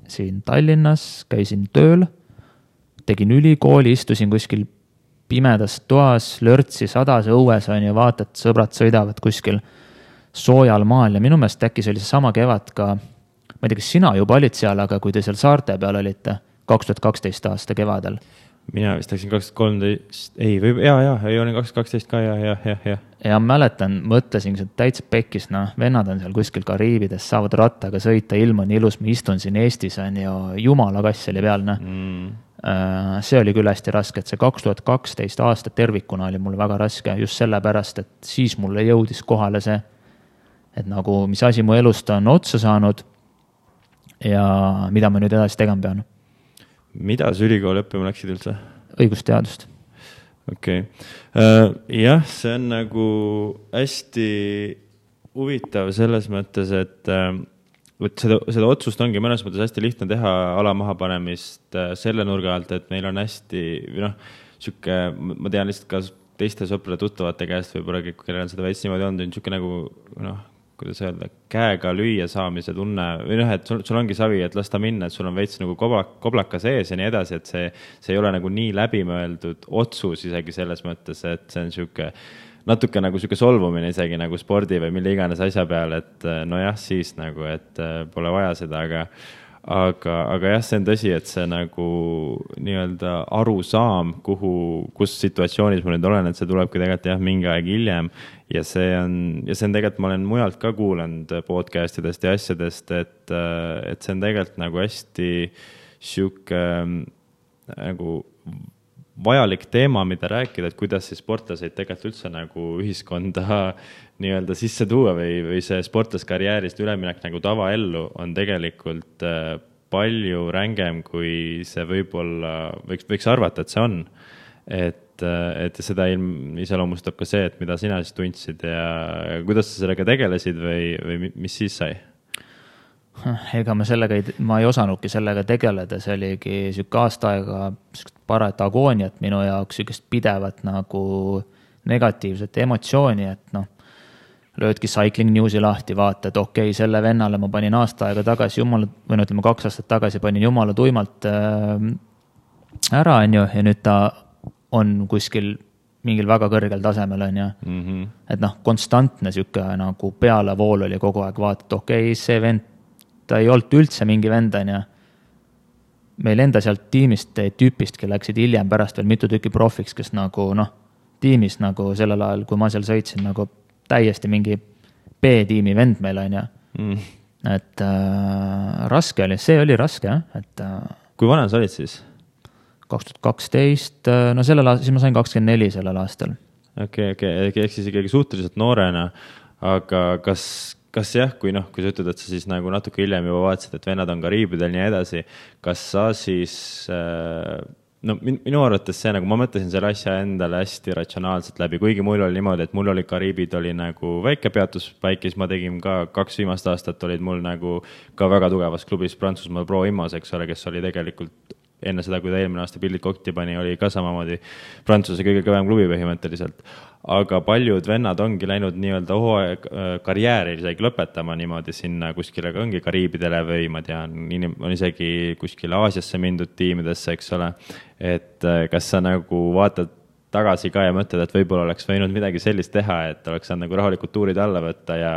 siin Tallinnas, käisin tööl, tegin ülikooli, istusin kuskil pimedas toas, lörtsi sadase õues on ja vaatad, sõbrad sõidavad kuskil soojal maal ja minu meelest äkki see oli seesama kevad ka, ma ei tea, kas sina juba olid seal, aga kui te seal saarte peal olite 2012 aasta kevadel. Mina vist läksin 2013, ei olin 2012 ka, ja. Ja mäletan, mõtlesin, see täitsa pekkis, vennad on seal kuskil Kariibides, saavad rattaga sõita, ilm on ilus, ma istun siin Eestis on ja jumala kass oli peal, See oli küll hästi raske, et see 2012 aasta tervikuna oli mul väga raske, just sellepärast, et siis mulle jõudis kohale see, et nagu mis asi mu elust on otsa saanud ja mida ma nüüd edasi tegema pean. Mida sa ülikooli õppima läksid üldse? Õigusteadust. Okei. Jah, see on nagu hästi huvitav selles mõttes, et seda otsust ongi mõnes mõttes hästi lihtne teha ala maha panemist selle nurga alt, et meil on hästi, süke, ma tean lihtsalt ka teiste sõprade tuttavate käest võib-olla, kellel on seda veits niimoodi olnud, süke nagu, kuidas öelda, käega lüüa saamise tunne, või et sul ongi savi, et las ta minna, et sul on veits nagu koblaka sees ja nii edasi, et see ei ole nagu nii läbimõeldud otsus isegi selles mõttes, et see on süke natuke nagu süke solvumine isegi nagu spordi või mille iganes asja peal, et nojah, siis nagu, et pole vaja seda, aga jah, see on tõsi, et see nagu nii-öelda arusaam, kus situatsioonis ma nüüd olen, et see tulebki tegelikult jah, mingi aeg hiljem ja see on tegelikult, ma olen mujalt ka kuulanud podcastidest ja asjadest, et see on tegelikult nagu hästi süke nagu vajalik teema, mida rääkida, et kuidas siis sportlaseid tegelikult üldse nagu ühiskonda nii-öelda sisse tuua või see sportlaskarjäärist üleminek nagu tavaellu on tegelikult palju rängem, kui see võib-olla võiks arvata, et see on. Et seda iseloomustab ka see, et mida sina siis tundsid ja kuidas sa sellega tegelesid või mis siis sai? Ega ma ei osanudki sellega tegeleda, see oligi süke aasta aega parat agooniat minu jaoks, sükest pidevat nagu negatiivset emotsiooni, et löödki Cycling Newsi lahti, vaata, et okei, selle vennale ma panin aasta aega tagasi, 2 aastat tagasi panin jumala tuimalt ära, on ju, ja nüüd ta on kuskil mingil väga kõrgel tasemel, on ju. Et konstantne süke nagu pealevool oli kogu aeg, vaata, et okei, see vend, ta ei olnud üldse mingi vend, on ju. Meil enda sealt tiimist tüüpistki läksid hiljem pärast veel mitu tükki profiks, kes nagu, tiimis nagu sellel ajal, kui ma seal sõitsin, nagu täiesti mingi B-tiimi vend meil on ju. Et raske oli, see oli raske, et kui vana sa olid siis? 2012, sellel aastal, siis ma sain 24 sellel aastal. Okei, ehk siis ikkagi suhteliselt noorena, aga kas jah, kui sa ütled, et sa siis nagu natuke hiljem juba vaatasid, et vennad on Kariibidel nii edasi, kas sa siis, minu arvates see nagu, ma mõtlesin selle asja endale hästi ratsionaalselt läbi, kuigi mul oli niimoodi, et mul oli Kariibid oli nagu väike peatuspaik, siis ma tegin ka 2 viimast aastat olid mul nagu ka väga tugevas klubis Prantsusmaal Pro Imos, eks ole, kes oli tegelikult enne seda, kui ta eelmine aasta pildid kokti pani, oli ka samamoodi Prantsuse kõige kõvem klubi põhimõtteliselt. Aga paljud vennad ongi läinud nii-öelda karjääri isegi lõpetama niimoodi sinna kuskile ongi Kariibidele või ma tean, on isegi kuskile Aasiasse mindud tiimidesse, eks ole. Et kas sa nagu vaatad tagasi ka ja mõtled, et võib-olla oleks võinud midagi sellist teha, et oleks saanud nagu rahulikult tuurid alla võtta ja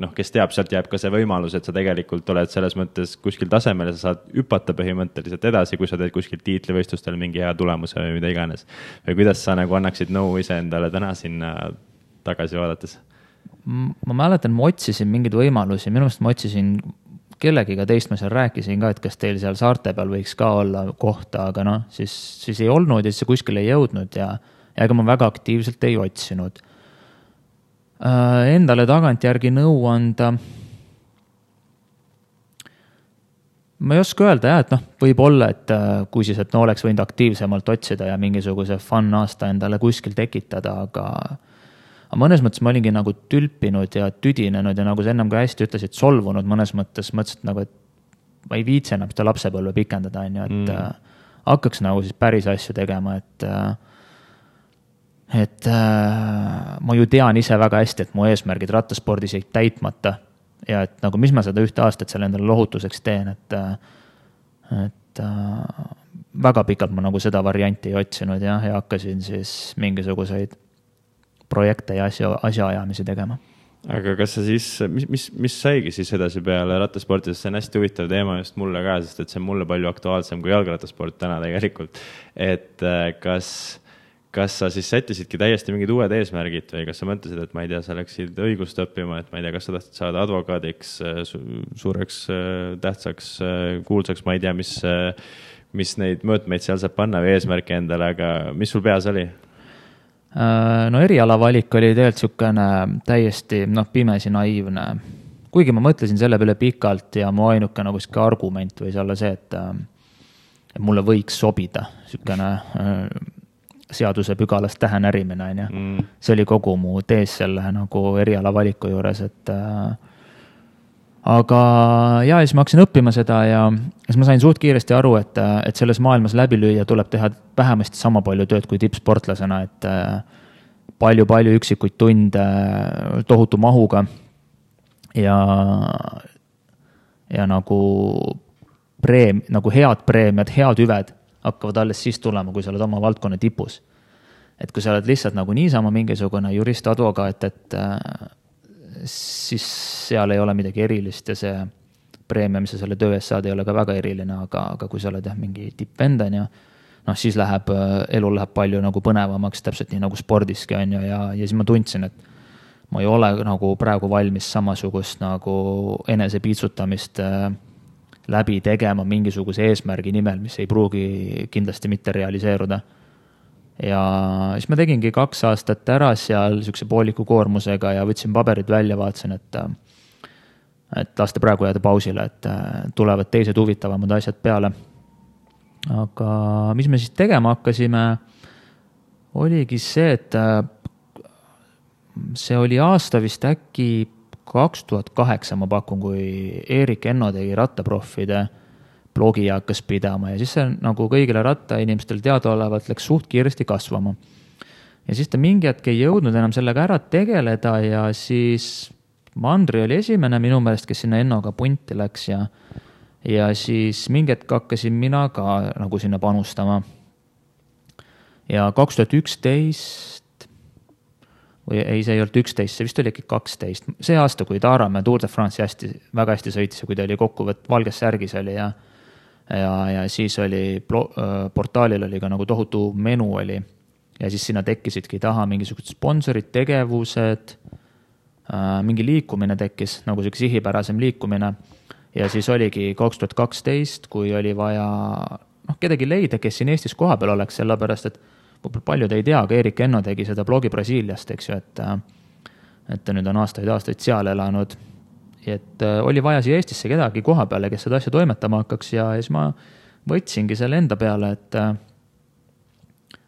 kes teab, sealt jääb ka see võimalus, et sa tegelikult oled selles mõttes kuskil tasemel ja sa saad hüpata põhimõtteliselt edasi, kui sa teed kuskil tiitlivõistlustel mingi hea tulemuse või mida iganes. Või kuidas sa nagu annaksid nõu ise endale täna sinna tagasi vaadates? Ma mäletan, ma otsisin mingeid võimalusi, minu meelest ma otsisin kellegiga teist ma seal rääkisin ka, et kas teil seal saarte peal võiks ka olla kohta, aga noh, siis ei olnud ja siis see kuskil ei jõudnud ja ega ma väga aktiivselt ei otsinud. Endale tagantjärgi nõu anda. Ma ei oska öelda jah, et noh, võib olla, et kui siis, et no oleks võinud aktiivsemalt otsida ja mingisuguse fun aasta endale kuskil tekitada, aga mõnes mõttes ma olingi nagu tülpinud ja tüdinenud ja nagu sa ennem ka hästi ütlesid, solvunud mõnes mõttes, mõtlesin nagu, et ma ei viitsi enam seda lapsepõlve pikendada, et hakkaks nagu siis päris asju tegema, et ma ju tean ise väga hästi, et mu eesmärgid rattaspordis jäid täitmata ja et nagu mis ma seda ühte aastat selle endale lohutuseks teen, et väga pikalt ma nagu seda varianti ei otsinud ja hakkasin siis mingisuguseid projekte ja asjaajamisi tegema. Aga kas sa siis, mis saigi siis edasi peale rattasporti, sest see on hästi huvitav teema just mulle ka, sest et see on mulle palju aktuaalsem kui jalgrattasport täna tegelikult. Et kas sa siis sättisidki täiesti mingid uued eesmärgid või kas sa mõtlesid, et ma ei tea, sa läksid õigust õppima, et ma ei tea, kas sa tahtsid saada advokaadiks, suureks, tähtsaks, kuulsaks, ma ei tea, mis neid mõõtmeid seal saab panna või eesmärke endale, aga mis sul peas oli? No eriala valik oli tegelikult sükene täiesti pimesi naiivne. Kuigi ma mõtlesin selle peale pikalt ja mu ainuke nagu argument võis olla see, et mulle võiks sobida sükene seaduse pügalast tähenärimine. See oli kogu mu tees selle nagu eriala valiku juures, et aga ja siis ma hakkasin õppima seda ja siis ma sain suht kiiresti aru, et selles maailmas läbi lüüa tuleb teha vähemasti sama palju tööd kui tippsportlasena, et palju üksikuid tunde tohutu mahuga ja nagu head preemiad, head hüved hakkavad alles siis tulema, kui sa oled oma valdkonna tipus. Et kui sa oled lihtsalt nagu niisama mingisugune jurist, advokaat, et siis seal ei ole midagi erilist ja see preemia, mis sa selle töö eest saad, ei ole ka väga eriline, aga kui sa oled mingi tippvendan ja siis elu läheb palju nagu põnevamaks, täpselt nii nagu spordiski on ju ja siis ma tundsin, et ma ei ole nagu praegu valmis samasugust nagu enesepiitsutamist läbi tegema mingisuguse eesmärgi nimel, mis ei pruugi kindlasti mitte realiseeruda. Ja siis ma tegingi 2 aastat ära seal sükse pooliku koormusega ja võtsin paberid välja, vaatasin, et lasta praegu jääda pausile, et tulevad teised huvitavamad asjad peale. Aga mis me siis tegema hakkasime, oligi see, et see oli aasta vist äkki 2008 ma pakun, kui Erik Enno tegi rattaproffide blogi ja hakkas pidama ja siis see nagu kõigile rattainimestel teadaolevalt läks suht kiiresti kasvama. Ja siis ta mingi hetk ei jõudnud enam sellega ära tegeleda ja siis Mandri oli esimene minu meelest, kes sinna Ennoga punti läks ja siis mingi hetk hakkasin mina ka nagu sinna panustama. Ja 2011 või ei, see ei olnud 11, see vist oli ikka 12. See aasta, kui Taaramäe Tour de France väga hästi sõitis ja kui ta oli kokkuvõtt valges särgis oli ja siis oli portaalil oli ka nagu tohutu menu oli ja siis sinna tekkisidki taha mingisugused sponsorid, tegevused, mingi liikumine tekkis, nagu selline sihipärasem liikumine ja siis oligi 2012, kui oli vaja kedagi leida, kes siin Eestis kohapeal oleks, sellepärast, et paljud ei tea, aga Erik Enno tegi seda blogi Brasiiliast, eks ju, et ta nüüd on aastaid seal elanud. Et oli vaja siia Eestisse kedagi koha peale, kes seda asja toimetama hakkaks ja siis ma võtsingi selle enda peale, et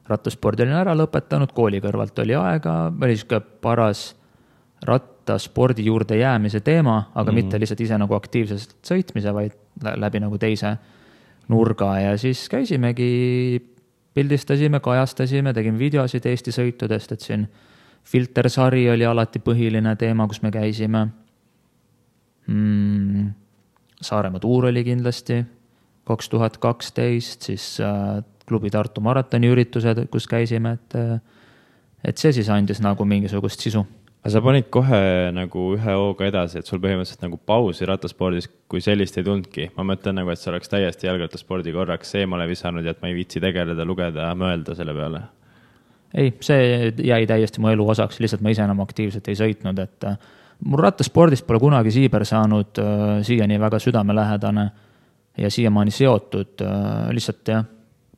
rattaspordi olin ära lõpetanud, kooli kõrvalt oli aega, oli siuke paras rattaspordi juurde jäämise teema, aga mitte lihtsalt ise nagu aktiivselt sõitmise, vaid läbi nagu teise nurga ja siis käisimegi pildistasime, kajastasime, tegime videosid Eesti sõitudest, et siin filtersari oli alati põhiline teema, kus me käisime. Saaremaa tuur oli kindlasti 2012, siis klubi Tartu maratoni üritused, kus käisime, et see siis andis nagu mingisugust sisu. Aga sa panid kohe nagu ühe hooga edasi, et sul põhimõtteliselt nagu pausi rattaspordis, kui sellist ei tundki. Ma mõtlen nagu, et sa oleks täiesti jalgrattaspordi korraks eemale visanud ja et ma ei viitsi tegeleda, lugeda, mõelda selle peale. Ei, see jäi täiesti mu elu osaks, lihtsalt ma ise enam aktiivselt ei sõitnud, et mul rattaspordist pole kunagi siiber saanud siiani väga südamelähedane ja siiamaani seotud, lihtsalt jah,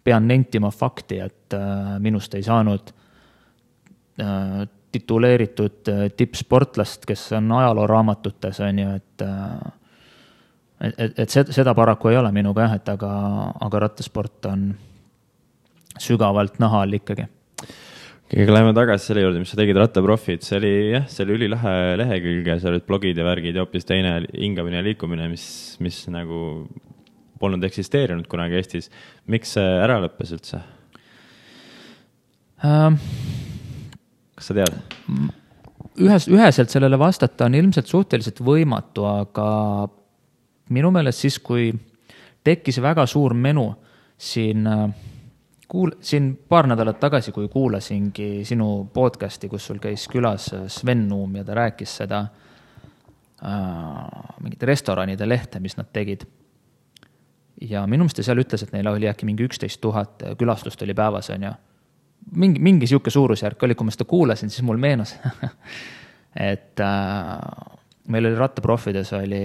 pean nentima fakti, et minust ei saanud tituleeritud tippsportlast, kes on ajalooraamatutes, on ju, et seda paraku ei ole minuga jah, et aga rattasport on sügavalt nahal ikkagi. Aga läheme tagasi selle juurde, mis sa tegid Rattaprofid, see oli ülilahe lehekülg ja seal olid blogid ja värgid ja hoopis teine hingamine ja liikumine, mis nagu polnud eksisteerinud kunagi Eestis. Miks see ära lõppes üldse? Kas sa tead? Üheselt sellele vastata on ilmselt suhteliselt võimatu, aga minu meelest siis, kui tekkis väga suur menu siin paar nädalat tagasi, kui kuulasingi sinu podcasti, kus sul käis külas Sven Nuum ja ta rääkis seda mingite restoranide lehte, mis nad tegid. Ja minu meelest seal ütles, et neil oli äkki mingi 11 000 külastust oli päevas, on ju. Mingi siuke suurusjärk oli, kui ma seda kuulasin, siis mul meenus, et meil oli Rattaprofides oli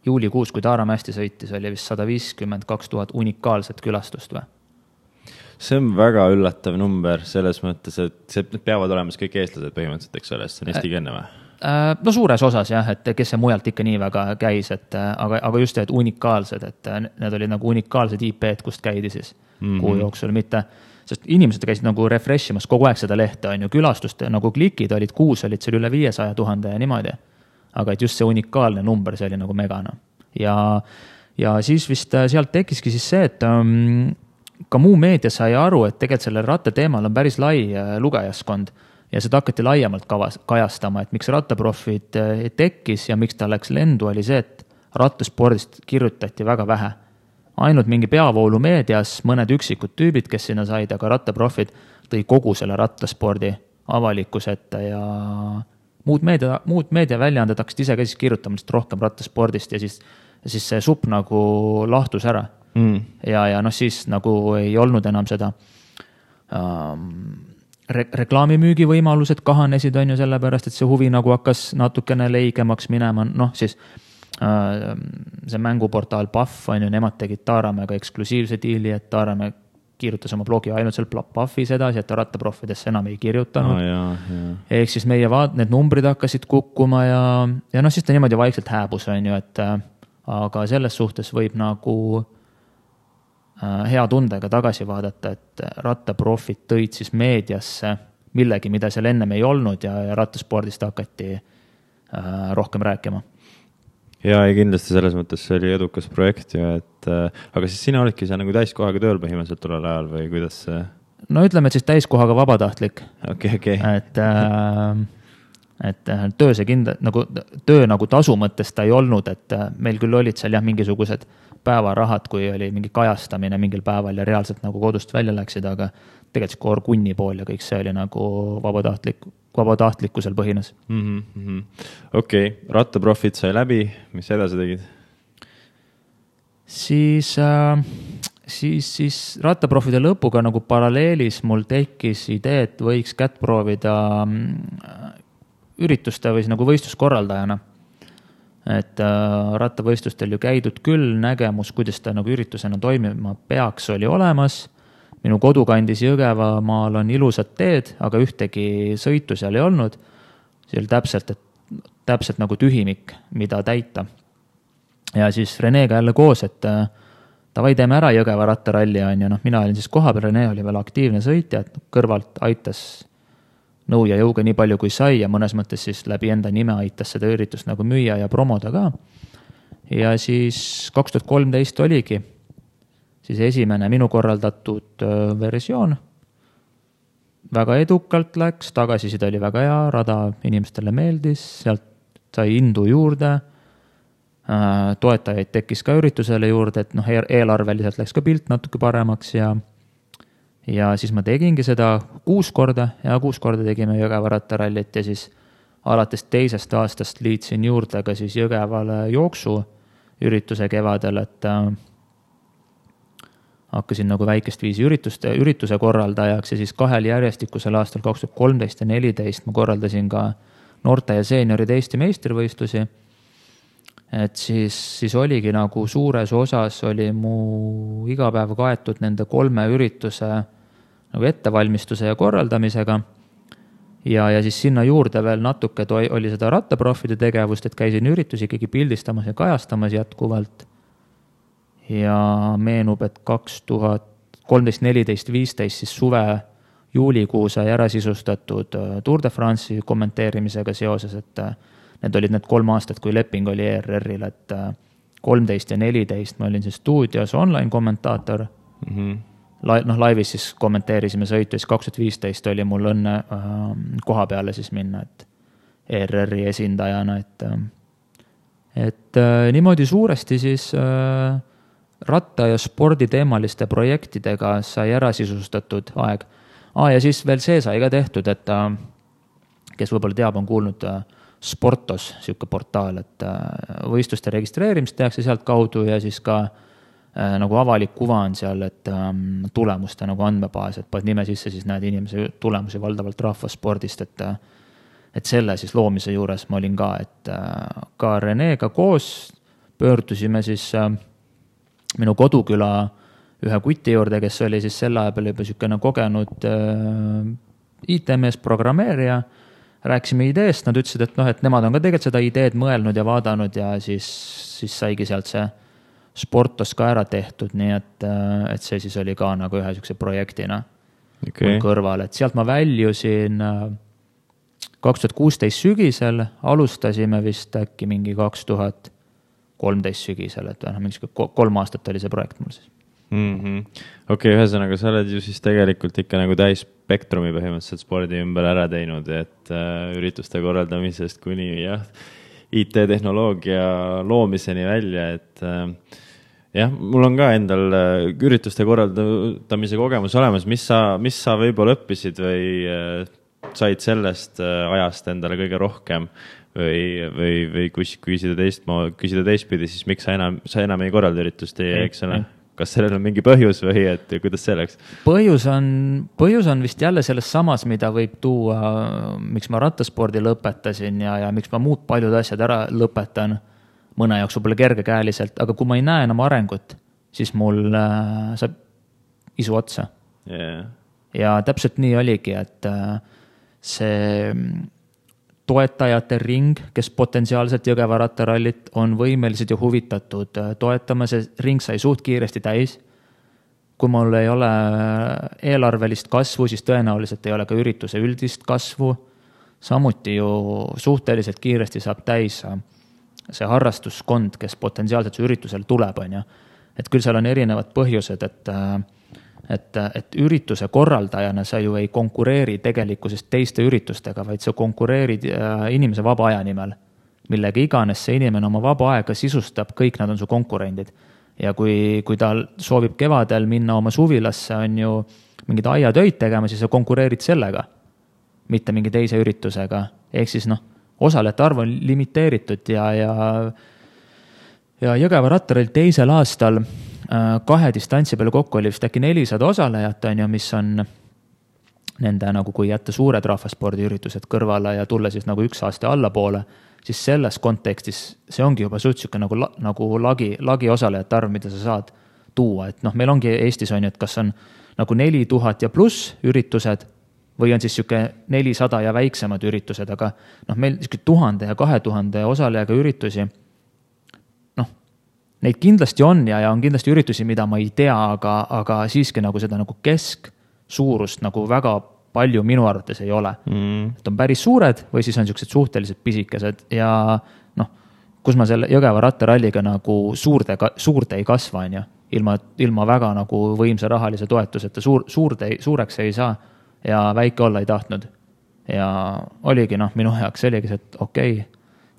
juulikuus, kui Taaramäesti sõitis, oli vist 152 000 unikaalset külastust või? See on väga üllatav number selles mõttes, et need peavad olema kõik eestlased põhimõtteliselt, eks ole, see on Eesti kenne või? No suures osas jah, et kes see mujalt ikka nii väga käis, aga just et unikaalsed, et need olid nagu unikaalsed IP-d, kust käidi siis kuu jooksul, mitte, sest inimesed käisid nagu refreshimas kogu aeg seda lehte, on ju, külastust nagu klikid olid, kuus olid seal üle 500 000 ja niimoodi. Aga et just see unikaalne number, see oli nagu megana. Ja siis vist sealt tekiski siis see, et ka muu meedia sai aru, et tegelikult selle rattateemal on päris lai lugejaskond ja seda hakati laiemalt kajastama, et miks Rattaprofid tekkis ja miks ta läks lendu, oli see, et rattaspordist kirjutati väga vähe. Ainult mingi peavoolu meedias mõned üksikud tüübid, kes sinna said, aga Rattaprofid tõi kogu selle rattaspordi avalikkuseta ja muud meedia väljaanded hakkasid ise ka siis kirjutama rohkem rattaspordist ja siis see supp nagu lahtus ära. Ja noh, siis nagu ei olnud enam seda reklaamimüügi võimalused kahanesid, on ju, sellepärast, et see huvi nagu hakkas natukene leigemaks minema, noh siis see mänguportaal Pahv, on ju, nemad tegid Taaramäega eksklusiivse diili, et Taaramäe kirjutas oma blogi ainult seal Pahvis edasi, et Rattaprofidesse enam ei kirjutanud. Ehk siis meie need numbrid hakkasid kukkuma ja noh, siis ta niimoodi vaikselt hääbus, on ju, et aga selles suhtes võib nagu hea tundega tagasi vaadata, et Rattaprofid tõid siis meediasse millegi, mida seal ennem ei olnud ja rattaspordist hakati rohkem rääkima. Ja kindlasti selles mõttes see oli edukas projekt ju, et aga siis sina olidki seal nagu täiskohaga tööl põhimõtteliselt tollel ajal või kuidas see? No ütleme, et siis täiskohaga vabatahtlik. Okay. Et töö see töö nagu tasu mõttes ta ei olnud, et meil küll olid seal jah mingisugused päevarahad, kui oli mingi kajastamine mingil päeval ja reaalselt nagu kodust välja läksid, aga tegelikult see koorkunni pool ja kõik see oli nagu vabatahtlikkusel põhines. Okei, Rattaprofid sai läbi, mis edasi tegid? Siis Rattaprofide lõpuga nagu paralleelis mul tekkis idee, et võiks kätt proovida ürituste või nagu võistluskorraldajana. Et rattavõistlustel ju käidud küll, nägemus, kuidas ta nagu üritusena toimima peaks, oli olemas. Minu kodukandis Jõgevamaal on ilusad teed, aga ühtegi sõitu seal ei olnud. See oli täpselt nagu tühimik, mida täita. Ja siis Renega jälle koos, et davai teeme ära Jõgeva rattaralli, on ja noh, mina olin siis kohapeal, Rene oli veel aktiivne sõitja, et kõrvalt aitas nõu ja jõuga nii palju kui sai ja mõnes mõttes siis läbi enda nime aitas seda üritust nagu müüa ja promoda ka. Ja siis 2013 oligi siis esimene minu korraldatud versioon. Väga edukalt läks, tagasiside oli väga hea, rada inimestele meeldis, sealt sai indu juurde, toetajaid tekkis ka üritusele juurde, et noh, eelarveliselt läks ka pilt natuke paremaks ja siis ma tegingi seda 6 korda tegime Jõgeva rattarallit ja siis alates 2. aastast liitsin juurde ka siis Jõgevale jooksu ürituse kevadel, et hakkasin nagu väikest viisi ürituse korraldajaks ja siis 2 järjestikusel aastal 2013 ja 2014 ma korraldasin ka noorte ja seenioride Eesti meistrivõistlusi. Et siis oligi nagu suures osas oli mu igapäev kaetud nende 3 ürituse nagu ettevalmistuse ja korraldamisega. Ja siis sinna juurde veel natuke oli seda rattaproffide tegevust, et käisin üritusi ikkagi pildistamas ja kajastamas jätkuvalt. Ja meenub, et 2013, 14, 15 siis suve juulikuu sai ära sisustatud Tour de France'i kommenteerimisega seoses, et need olid need 3 aastat, kui leping oli ERR-il, et 13 ja 14 ma olin siis stuudios online kommentaator. Laivis siis kommenteerisime sõitu, siis 2015 oli mul õnne koha peale siis minna, et ERR-i esindajana, et niimoodi suuresti siis ratta- ja sporditeemaliste projektidega sai ära sisustatud aeg. Ja siis veel see sai ka tehtud, et kes võib-olla teab, on kuulnud Sportos, siuke portaal, et võistluste registreerimist tehakse sealt kaudu ja siis ka nagu avalik kuva on seal, et tulemuste nagu andmebaas, et paned nime sisse, siis näed inimese tulemusi valdavalt rahvaspordist, et selle siis loomise juures ma olin ka, et ka Renega koos pöördusime siis minu koduküla ühe kuti juurde, kes oli siis selle aja peale juba siukene kogenud IT-mees, programmeerija. Rääkisime ideest, nad ütlesid, et nemad on ka tegelikult seda ideed mõelnud ja vaadanud ja siis saigi sealt see Sportos ka ära tehtud, nii et see siis oli ka nagu ühe siukse projektina kõrval, et sealt ma väljusin 2016 sügisel, alustasime vist äkki mingi 2013 sügisel, et mingi 3 aastat oli see projekt mul siis. Okei, ühesõnaga, sa oled ju siis tegelikult ikka nagu täis spektrumi põhimõtteliselt spordi ümber ära teinud, et ürituste korraldamisest kuni IT-tehnoloogia loomiseni välja, et mul on ka endal ürituste korraldamise kogemus olemas, mis sa võib-olla õppisid või said sellest ajast endale kõige rohkem või küsida teistpidi, siis miks sa enam ei korralda üritust, eks ole? Kas sellel on mingi põhjus või et kuidas see läks? Põhjus on vist jälle selles samas, mida võib tuua, miks ma rattaspordi lõpetasin ja miks ma muud paljud asjad ära lõpetan mõne jaoks võib-olla kergekäeliselt, aga kui ma ei näe enam arengut, siis mul saab isu otsa. Ja täpselt nii oligi, et see toetajate ring, kes potentsiaalselt Jõgeva rattarallit on võimelised ja huvitatud toetama, see ring sai suht kiiresti täis. Kui mul ei ole eelarvelist kasvu, siis tõenäoliselt ei ole ka ürituse üldist kasvu. Samuti ju suhteliselt kiiresti saab täis see harrastuskond, kes potentsiaalselt see üritusel tuleb, on ju. Et küll seal on erinevad põhjused, et ürituse korraldajana sa ju ei konkureeri tegelikkusest teiste üritustega, vaid sa konkureerid inimese vaba aja nimel, millega iganes see inimene oma vaba aega sisustab, kõik nad on su konkurendid. Ja kui ta soovib kevadel minna oma suvilasse, on ju mingid aiatöid tegema, siis sa konkureerid sellega, mitte mingi teise üritusega. Ehk siis osalejate arv on limiteeritud ja Jõgeva rattaralli teisel aastal 2 distantsi peale kokku oli vist äkki 400 osalejat, on ju, mis on nende nagu kui jätta suured rahvaspordiüritused kõrvale ja tulla siis nagu 1 aasta allapoole, siis selles kontekstis see ongi juba suhtsuke nagu lagi osalejate arv, mida sa saad tuua. Et meil ongi Eestis on ju, et kas on nagu 4000 ja pluss üritused või on siis siuke 400 ja väiksemad üritused, aga meil 1000 ja 2000 osalejaga üritusi, neid kindlasti on ja on kindlasti üritusi, mida ma ei tea, aga siiski nagu seda nagu kesksuurust nagu väga palju minu arvates ei ole. Et on päris suured või siis on siuksed suhteliselt pisikesed ja kus ma selle Jõgeva rattaralliga nagu suurde ei kasva, on ju, ilma väga nagu võimsa rahalise toetuseta suureks ei saa ja väike olla ei tahtnud. Ja oligi minu jaoks oligi see, et okei,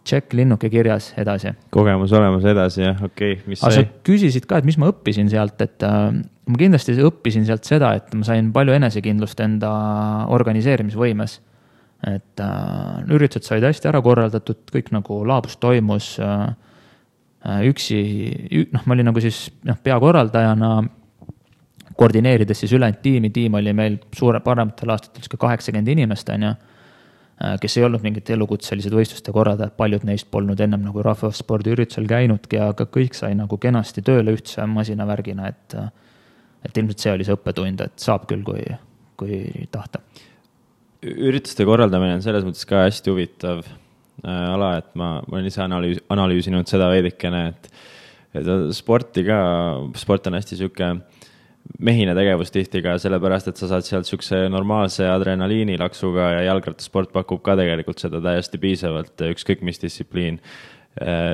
check linnuke kirjas edasi. Kogemus olemas edasi, jah, okei. Aga sa küsisid ka, et mis ma õppisin sealt, et ma kindlasti õppisin sealt seda, et ma sain palju enesekindlust enda organiseerimisvõimes. Et üritused said hästi ära korraldatud, kõik nagu laabus toimus üksi, ma olin nagu siis peakorraldajana koordineerides siis ülejäänud tiim oli meil parematel aastatel 80 inimest, on ju, kes ei olnud mingid elukutselised võistluste korraldajad, paljud neist polnud ennem nagu rahvaspordiüritusel käinudki, aga kõik sai nagu kenasti tööle ühtse masinavärgina, et ilmselt see oli see õppetund, et saab küll, kui tahta. Ürituste korraldamine on selles mõttes ka hästi huvitav ala, et ma olen ise analüüsinud seda veidikene, et sport on hästi siuke mehine tegevus tihti ka sellepärast, et sa saad sealt siukse normaalse adrenaliinilaksuga ja jalgrattasport pakub ka tegelikult seda täiesti piisavalt, ükskõik mis distsipliin.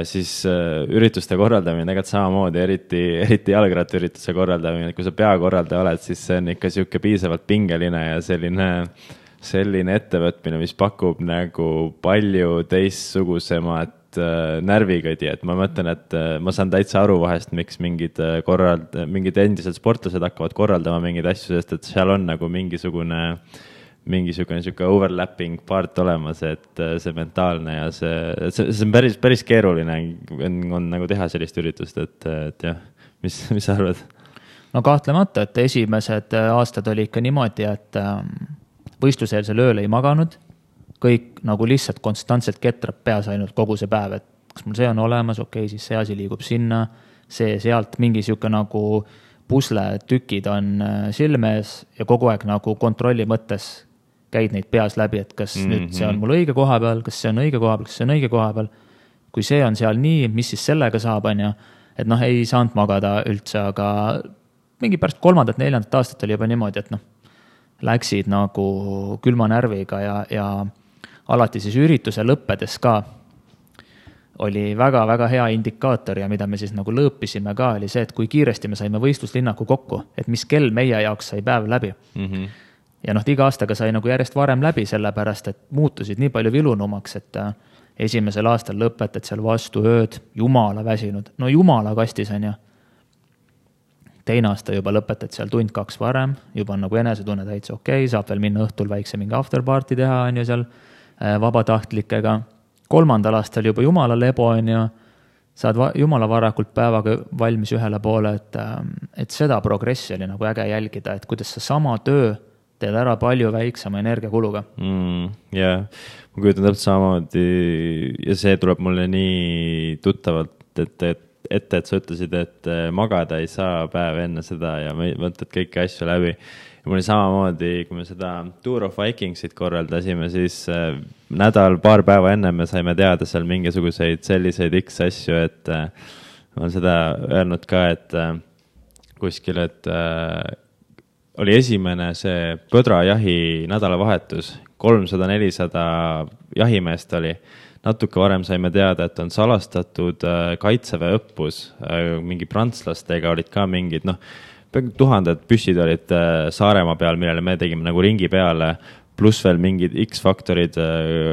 Siis ürituste korraldamine tegelikult samamoodi, eriti jalgrattaürituse korraldamine, kui sa peakorraldaja oled, siis see on ikka siuke piisavalt pingeline ja selline ettevõtmine, mis pakub nagu palju teistsugusemat närvikõdi, et ma mõtlen, et ma saan täitsa aru vahest, miks mingid endised sportlased hakkavad korraldama mingeid asju, sest et seal on nagu mingisugune siuke overlapping part olemas, et see mentaalne ja see on päris keeruline on nagu teha sellist üritust, et jah, mis sa arvad? No kahtlemata, et esimesed aastad oli ikka niimoodi, et võistluseelsel ööl ei maganud, kõik nagu lihtsalt konstantselt ketrab peas ainult kogu see päev, et kas mul see on olemas, okei, siis see asi liigub sinna, see sealt mingi siuke nagu pusle tükid on silme ees ja kogu aeg nagu kontrolli mõttes käid neid peas läbi, et kas nüüd see on mul õige koha peal, kas see on õige koha peal, kas see on õige koha peal. Kui see on seal nii, mis siis sellega saab, on ju, et ei saanud magada üldse, aga mingi pärast 3.-4. aastat oli juba niimoodi, et läksid nagu külma närviga ja alati siis ürituse lõppedes ka oli väga-väga hea indikaator ja mida me siis nagu lõõpisime ka, oli see, et kui kiiresti me saime võistluslinnaku kokku, et mis kell meie jaoks sai päev läbi. Ja iga aastaga sai nagu järjest varem läbi, sellepärast, et muutusid nii palju vilunumaks, et esimesel aastal lõpetad seal vastu ööd, jumala väsinud, jumala kastis on ju. Teine aasta juba lõpetad seal 1-2 varem, juba on nagu enesetunne täitsa okei, saab veel minna õhtul väikse mingi afterparty teha on ju seal vabatahtlikega. 3. aastal juba jumala lebo on ju, saad jumala varakult päevaga valmis ühele poole, et seda progressi oli nagu äge jälgida, et kuidas sa sama töö teed ära palju väiksema energiakuluga. Jah, ma kujutan täpselt samamoodi ja see tuleb mulle nii tuttavalt, et sa ütlesid, et magada ei saa päev enne seda ja mõtled kõiki asju läbi. Ja mul oli samamoodi, kui me seda Tour of Vikingsit korraldasime, siis paar päeva enne me saime teada seal mingisuguseid selliseid X asju, et ma olen seda öelnud ka, et kuskil, et oli esimene see põdrajahi nädalavahetus, 300-400 jahimeest oli. Natuke varem saime teada, et on salastatud kaitseväe õppus, mingi prantslastega olid ka mingid, 1000 püssid olid Saaremaa peal, millele me tegime nagu ringi peale, pluss veel mingid X-faktorid,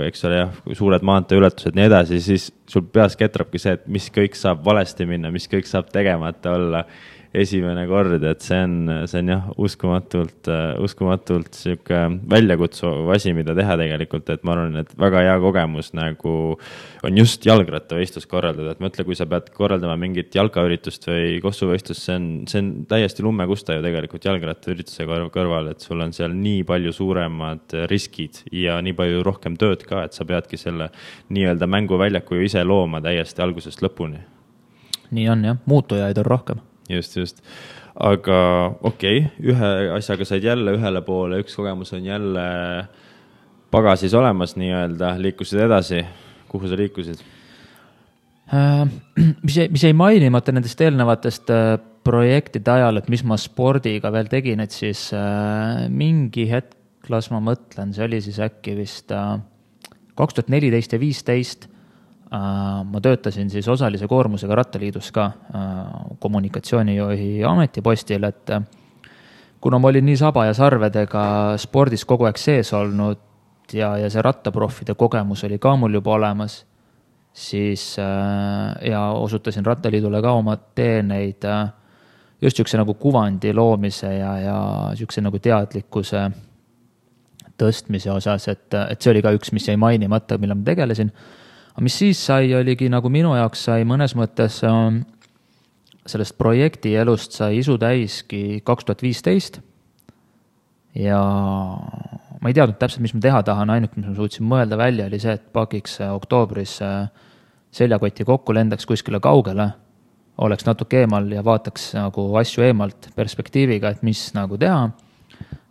eks ole, suured maanteeületused, nii edasi, siis sul peas ketrabki see, et mis kõik saab valesti minna, mis kõik saab tegemata olla esimene kord, et see on jah, uskumatult siuke väljakutsuv asi, mida teha tegelikult, et ma arvan, et väga hea kogemus nagu on just jalgrattavõistlus korraldada, et mõtle, kui sa pead korraldama mingit jalkaüritust või kossuvõistlust, see on täiesti lummekusta ju tegelikult jalgrattaürituse kõrval, et sul on seal nii palju suuremad riskid ja nii palju rohkem tööd ka, et sa peadki selle nii-öelda mänguväljaku ju ise looma täiesti algusest lõpuni. Nii on jah, muutujaid on rohkem. Just. Aga okei, ühe asjaga said jälle ühele poole, üks kogemus on jälle pagasis olemas nii-öelda, liikusid edasi. Kuhu sa liikusid? Mis ei mainimata nendest eelnevatest projektide ajal, et mis ma spordiga veel tegin, et siis mingi hetk, las ma mõtlen, see oli siis äkki vist 2014 ja 2015 ma töötasin siis osalise koormusega Rattaliidus ka kommunikatsioonijuhi ametipostil, et kuna ma olin nii saba ja sarvedega spordis kogu aeg sees olnud ja see rattaproffide kogemus oli ka mul juba olemas, siis ja osutasin Rattaliidule ka oma teeneid just siukse nagu kuvandi loomise ja siukse nagu teadlikkuse tõstmise osas, et see oli ka üks, mis jäi mainimata, mille ma tegelesin. Aga mis siis sai, oligi nagu minu jaoks sai mõnes mõttes sellest projekti elust sai isu täiski 2015 ja ma ei teadnud täpselt, mis ma teha tahan, ainuke, mis ma suutsin mõelda välja, oli see, et pakiks oktoobris seljakoti kokku, lendaks kuskile kaugele, oleks natuke eemal ja vaataks nagu asju eemalt perspektiiviga, et mis nagu teha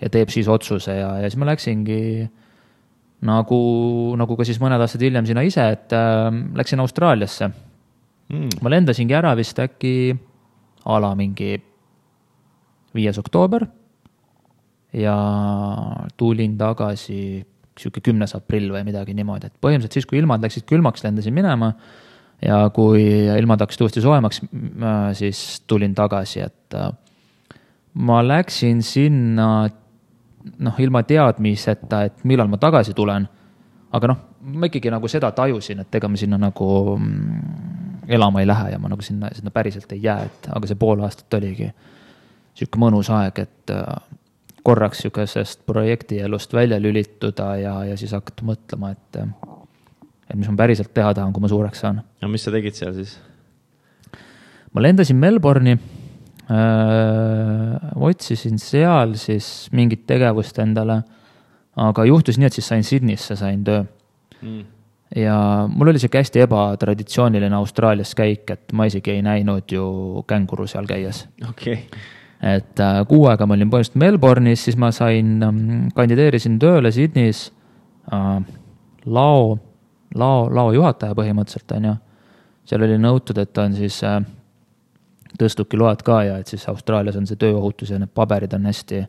ja teeb siis otsuse ja siis ma läksingi nagu ka siis mõned aastad hiljem sinna ise, et läksin Austraaliasse. Ma lendasingi ära vist äkki mingi 5. oktoober ja tulin tagasi siuke 10. aprill või midagi niimoodi, et põhimõtteliselt siis, kui ilmad läksid külmaks, lendasin minema ja kui ilmad hakkasid uuesti soojemaks, siis tulin tagasi, et ma läksin sinna ilma teadmiseta, et millal ma tagasi tulen, aga ma ikkagi nagu seda tajusin, et ega ma sinna nagu elama ei lähe ja ma nagu sinna päriselt ei jää, aga see pool aastat oligi siuke mõnus aeg, et korraks siukesest projekti elust välja lülituda ja siis hakata mõtlema, et mis ma päriselt teha tahan, kui ma suureks saan. Ja mis sa tegid seal siis? Ma lendasin Melbourne'i, otsisin seal siis mingit tegevust endale, aga juhtus nii, et siis Sydneysse sain töö. Ja mul oli see hästi ebatraditsiooniline Austraalias käik, et ma isegi ei näinud ju känguru seal käies. Okay. Et 6 aega ma olin põhimõtteliselt Melbourne'is, siis ma kandideerisin tööle Sydneys lao juhataja põhimõtteliselt on ju. Seal oli nõutud, et on siis tõstukiload ka ja et siis Austraalias on see tööohutus ja need paberid on hästi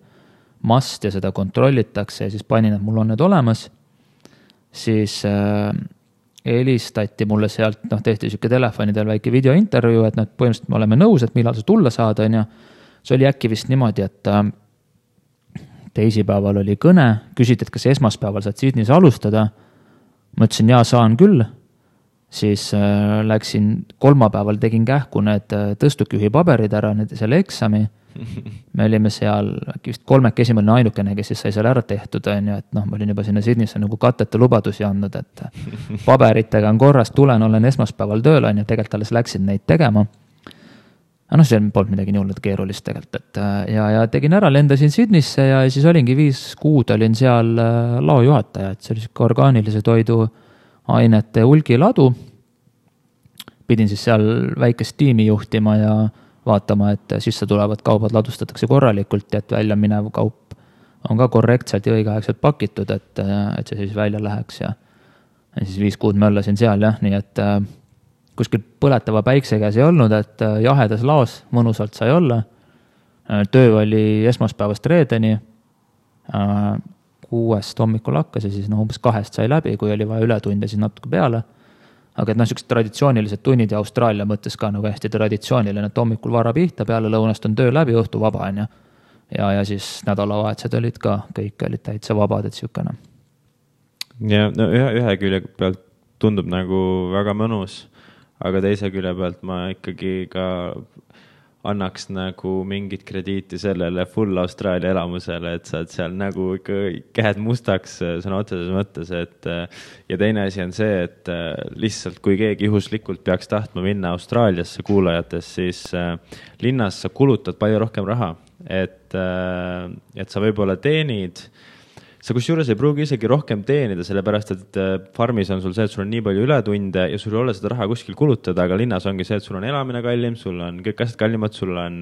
must ja seda kontrollitakse ja siis panin, et mul on need olemas. Siis helistati mulle sealt, tehti siuke telefonidel väike videointervjuu, et põhimõtteliselt me oleme nõus, et millal sa tulla saad, on ju. See oli äkki vist niimoodi, et teisipäeval oli kõne, küsiti, et kas esmaspäeval saad Sydneys alustada. Ma ütlesin, jaa, saan küll. Siis läksin kolmapäeval, tegin kähku need tõstukühi paberid ära, selle eksami. Me olime seal, vist 3 esimene ainukene, kes siis sai seal ära tehtud, on ju, et ma olin juba sinna Sydneysse nagu katteta lubadusi andnud, et paberitega on korras, olen esmaspäeval tööl, on ju, tegelikult alles läksin neid tegema. See polnud midagi nii hullult keerulist tegelikult, et ja tegin ära, lendasin Sydneysse ja siis olingi 5 kuud olin seal laojuhataja, et see oli orgaanilise toidu ainete hulgiladu. Pidin siis seal väikest tiimi juhtima ja vaatama, et sisse tulevad kaubad ladustatakse korralikult ja et välja minev kaup on ka korrektselt ja õigeaegselt pakitud, et see siis välja läheks ja siis 5 kuud möllasin seal jah, nii et kuskil põletava päikse käes ei olnud, et jahedas laos mõnusalt sai olla. Töö oli esmaspäevast reedeni, 6 hommikul hakkas ja siis umbes 2 sai läbi, kui oli vaja ületunde siis natuke peale. Aga et sellised traditsioonilised tunnid ja Austraalia mõttes ka nagu hästi traditsiooniline, et hommikul vara pihta, peale lõunast on töö läbi, õhtu vaba on ja siis nädalavahetused olid ka, kõik olid täitsa vabad, et siukene. Ja ühe külje pealt tundub nagu väga mõnus, aga teise külje pealt ma ikkagi ka annaks nagu mingit krediiti sellele full Austraalia elamusele, et saad seal nagu ikka käed mustaks sõna otseses mõttes, et ja teine asi on see, et lihtsalt kui keegi juhuslikult peaks tahtma minna Austraaliasse kuulajates, siis linnas sa kulutad palju rohkem raha, et sa võib-olla teenid, sa kusjuures ei pruugi isegi rohkem teenida, sellepärast, et farmis on sul see, et sul on nii palju ületunde ja sul ei ole seda raha kuskil kulutada, aga linnas ongi see, et sul on elamine kallim, sul on kõik asjad kallimad, sul on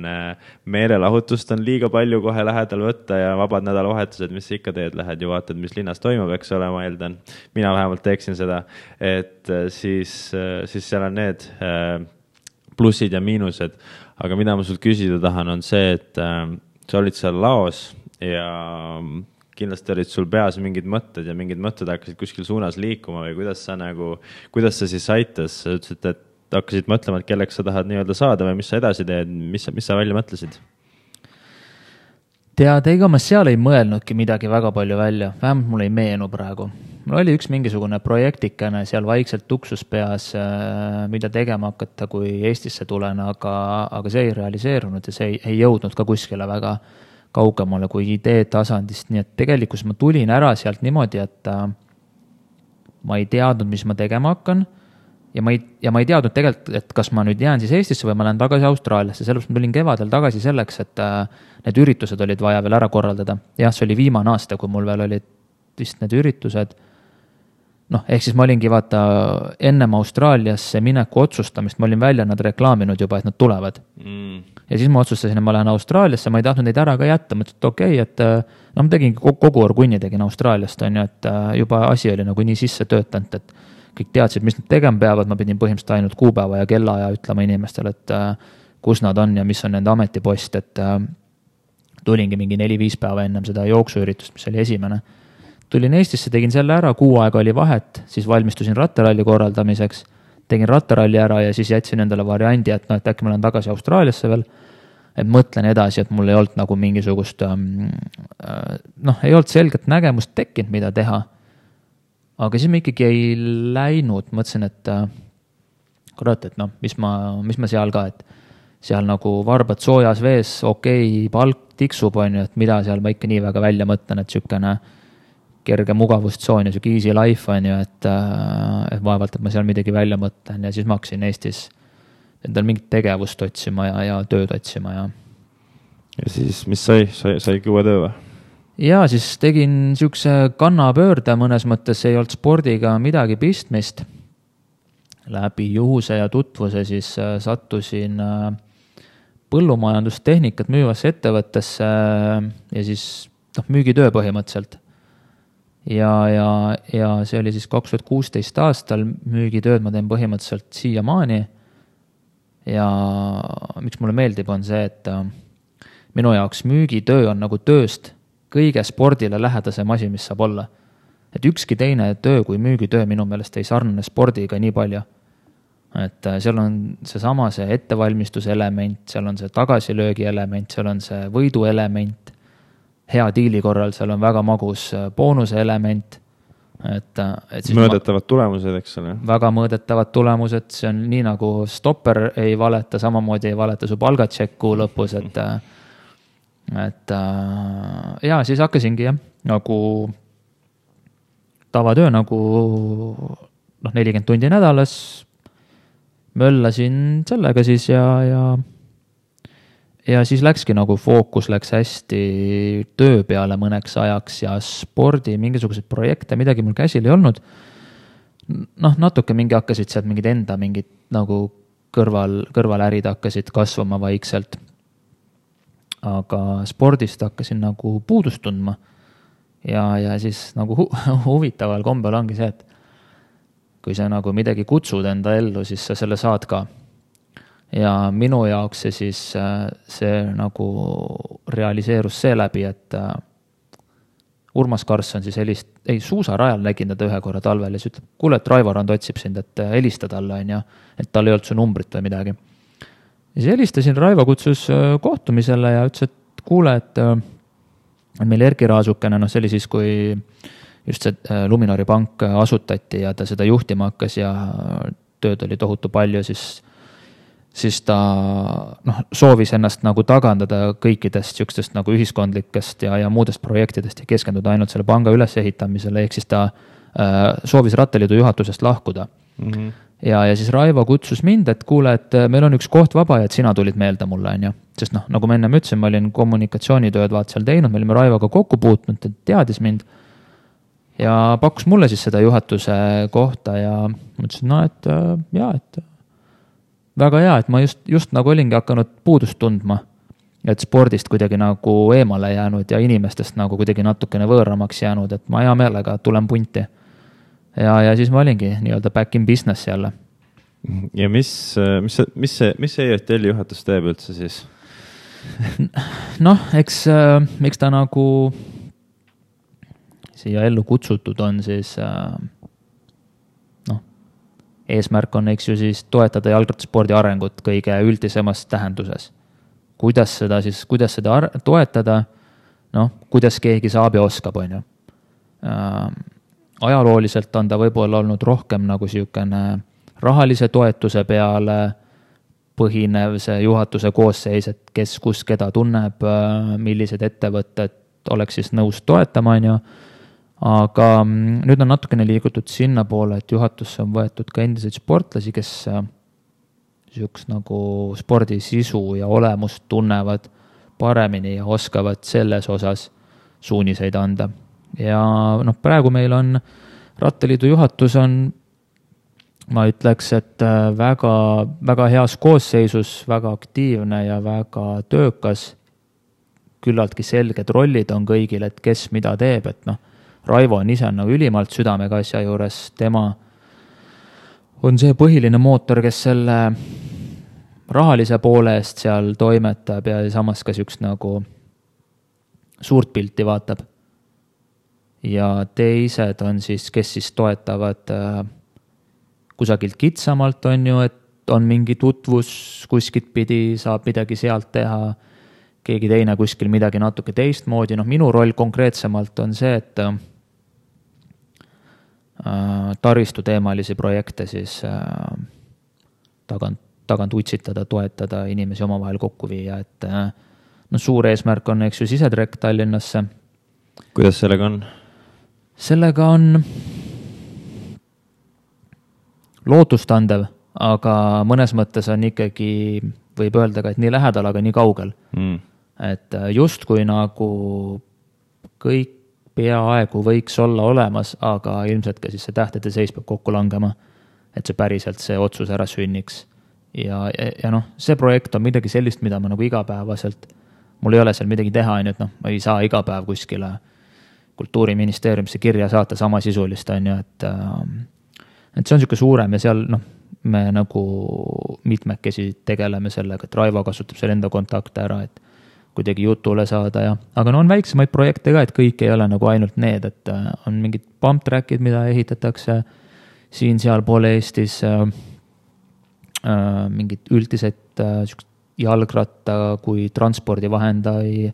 meelelahutust on liiga palju kohe lähedal võtta ja vabad nädalavahetused, mis sa ikka teed, lähed ju vaatad, mis linnas toimub, eks ole, ma eeldan. Mina vähemalt teeksin seda, et siis seal on need plussid ja miinused, aga mida ma sult küsida tahan, on see, et sa olid seal laos ja kindlasti olid sul peas mingid mõtted ja mingid mõtted hakkasid kuskil suunas liikuma või kuidas sa siis aitas? Sa ütlesid, et hakkasid mõtlema, et kelleks sa tahad nii-öelda saada või mis sa edasi teed, mis sa välja mõtlesid? Tead, ega ma seal ei mõelnudki midagi väga palju välja, vähemalt mul ei meenu praegu. Mul oli üks mingisugune projektikene seal vaikselt tuksus peas, mida tegema hakata, kui Eestisse tulen, aga see ei realiseerunud ja see ei jõudnud ka kuskile väga kaugemale kui idee tasandist, nii et tegelikult ma tulin ära sealt niimoodi, et ma ei teadnud, mis ma tegema hakkan ja ma ei teadnud tegelikult, et kas ma nüüd jään siis Eestisse või ma lähen tagasi Austraaliasse, sellepärast ma tulin kevadel tagasi selleks, et need üritused olid vaja veel ära korraldada. Jah, see oli viimane aasta, kui mul veel olid vist need üritused. Noh, ehk siis ma olingi vaata ennem Austraaliasse mineku otsustamist, ma olin välja nad reklaaminud juba, et nad tulevad. Ja siis ma otsustasin, et ma lähen Austraaliasse, ma ei tahtnud neid ära ka jätta, mõtlesin, et okei, et ma tegin kogu orgunni tegin Austraaliast, on ju, et juba asi oli nagu nii sisse töötanud, et kõik teadsid, mis nad tegema peavad, ma pidin põhimõtteliselt ainult kuupäeva ja kellaaja ütlema inimestele, et kus nad on ja mis on nende ametipost, et tulingi mingi 4-5 päeva ennem seda jooksuüritust, mis oli esimene. Tulin Eestisse, tegin selle ära, 6 aega oli vahet, siis valmistusin rattaralli korraldamiseks, tegin rattaralli ära ja siis jätsin endale variandi, et äkki ma lähen tagasi Austraaliasse veel, et mõtlen edasi, et mul ei olnud nagu mingisugust, ei olnud selget nägemust tekkinud, mida teha. Aga siis ma ikkagi ei läinud, mõtlesin, et kurat, et mis ma seal ka, et seal nagu varbad soojas vees, okei, palk tiksub, on ju, et mida seal ma ikka nii väga välja mõtlen, et sükene kerge mugavustsoon ja süke easy life on ju, et vaevalt, et ma seal midagi välja mõtlen ja siis ma hakkasin Eestis endal mingit tegevust otsima ja tööd otsima ja siis, mis saigi uue töö või? Ja siis tegin sükse kannapöörde, mõnes mõttes ei olnud spordiga midagi pistmist. Läbi juhuse ja tutvuse siis sattusin põllumajandustehnikat müüvasse ettevõttesse ja siis müügitöö põhimõtteliselt. Ja see oli siis 2016 aastal, müügitööd ma teen põhimõtteliselt siiamaani. Ja miks mulle meeldib on see, et minu jaoks müügitöö on nagu tööst kõige spordile lähedasem asi, mis saab olla. Et ükski teine töö kui müügitöö minu meelest ei sarnane spordiga nii palju. Et seal on seesama see ettevalmistuse element, seal on see tagasilöögi element, seal on see võidu element, hea diili korral seal on väga magus boonuse element. Mõõdetavad tulemused, eks ole. Väga mõõdetavad tulemused, see on nii nagu stopper ei valeta, samamoodi ei valeta su palgatšekk kuu lõpus, et ja siis hakkasingi nagu tavatöö nagu 40 tundi nädalas möllasin sellega siis ja siis läkski nagu fookus läks hästi töö peale mõneks ajaks ja spordi mingisuguseid projekte, midagi mul käsil ei olnud. Natuke hakkasid sealt mingid enda mingid nagu kõrvalärid hakkasid kasvama vaikselt. Aga spordist hakkasin nagu puudust tundma ja siis nagu huvitaval kombel ongi see, et kui sa nagu midagi kutsud enda ellu, siis sa selle saad ka. Ja minu jaoks see nagu realiseerus seeläbi, et Urmas Karsson siis suusarajal nägin teda ühe korra talvel ja siis ütleb, kuule, et Raivo Rand otsib sind, et helista talle on ja et tal ei olnud su numbrit või midagi. Ja siis helistasin, Raivo kutsus kohtumisele ja ütles, et kuule, et meil Erki Raasukene, see oli siis, kui just see Luminori pank asutati ja ta seda juhtima hakkas ja tööd oli tohutu palju, siis ta soovis ennast nagu tagandada kõikidest sükstest nagu ühiskondlikest ja muudest projektidest ja keskenduda ainult selle panga ülesehitamisele, ehk siis ta soovis Rattaliidu juhatusest lahkuda. Ja siis Raivo kutsus mind, et kuule, et meil on üks koht vaba ja et sina tulid meelde mulle, on ju. Sest nagu ma enne ütlesin, ma olin kommunikatsioonitööd seal teinud, me olime Raivoga kokku puutnud, ta teadis mind ja pakkus mulle siis seda juhatuse kohta ja mõtlesin, et väga hea, et ma just nagu olingi hakanud puudust tundma, et spordist kuidagi nagu eemale jäänud ja inimestest nagu kuidagi natukene võõramaks jäänud, et ma hea meelega tulen punti. Ja siis ma olingi nii-öelda back in business jälle. Ja mis see ERTL juhatus teeb üldse siis? Eks ta nagu siia ellu kutsutud on siis eesmärk on, eks ju, siis toetada jalgrattaspordi arengut kõige üldisemas tähenduses. Kuidas seda toetada, kuidas keegi saab ja oskab, on ju. Ajalooliselt on ta võib-olla olnud rohkem nagu siukene rahalise toetuse peale põhinev see juhatuse koosseis, et kes keda tunneb, millised ettevõtted oleks siis nõus toetama, on ju. aga nüüd on natukene liigutud sinna poole, et juhatusse on võetud ka endiseid sportlasi, kes niisugust nagu spordi sisu ja olemust tunnevad paremini ja oskavad selles osas suuniseid anda. Ja praegu meil on Rattaliidu juhatus on, ma ütleks, et väga, väga heas koosseisus, väga aktiivne ja väga töökas, küllaltki selged rollid on kõigil, et kes mida teeb, et Raivo on ise nagu ülimalt südamega asja juures, tema on see põhiline mootor, kes selle rahalise poole eest seal toimetab ja samas ka niisugust nagu suurt pilti vaatab. Ja teised on siis, kes siis toetavad kusagilt kitsamalt, on ju, et on mingi tutvus kuskilt pidi, saab midagi sealt teha, keegi teine kuskil midagi natuke teistmoodi. Minu roll konkreetsemalt on see, et taristu teemalisi projekte siis tagant utsitada, toetada, inimesi omavahel kokku viia, et suur eesmärk on, eks ju, sisetrek Tallinnasse. Kuidas sellega on? Sellega on lootustandev, aga mõnes mõttes on ikkagi, võib öelda ka, et nii lähedal, aga nii kaugel. Et just kui nagu kõik peaaegu võiks olla olemas, aga ilmselt ka siis see tähtede seis peab kokku langema, et see päriselt see otsus ära sünniks. Ja see projekt on midagi sellist, mida ma nagu igapäevaselt, mul ei ole seal midagi teha, et ma ei saa iga päev kuskile Kultuuriministeeriumisse kirja saata sama sisulist, on ju, et see on niisugune suurem ja seal me nagu mitmekesi tegeleme sellega, et Raivo kasutab seal enda kontakte ära, et kuidagi jutule saada ja, aga on väiksemaid projekte ka, et kõik ei ole nagu ainult need, et on mingid pump trackid, mida ehitatakse siin-seal poole Eestis, mingid üldised jalgratta kui transpordivahendai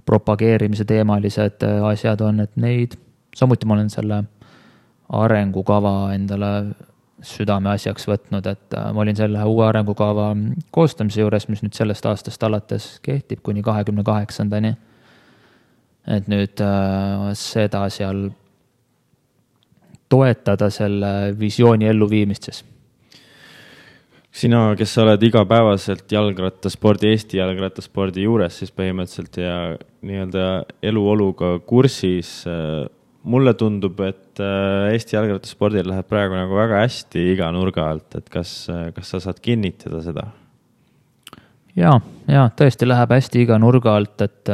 propageerimise teemalised asjad on, et neid, samuti ma olen selle arengukava endale südame asjaks võtnud, et ma olin selle uue arengukava koostamise juures, mis nüüd sellest aastast alates kehtib kuni 28-ndani. Et nüüd seda seal toetada selle visiooni elluviimist siis. Sina, kes sa oled igapäevaselt jalgrattaspordi, Eesti jalgrattaspordi juures, siis põhimõtteliselt ja nii-öelda eluoluga kursis, mulle tundub, et Eesti jalgrattaspordil läheb praegu nagu väga hästi iga nurga alt, et kas sa saad kinnitada seda? Ja, tõesti läheb hästi iga nurga alt, et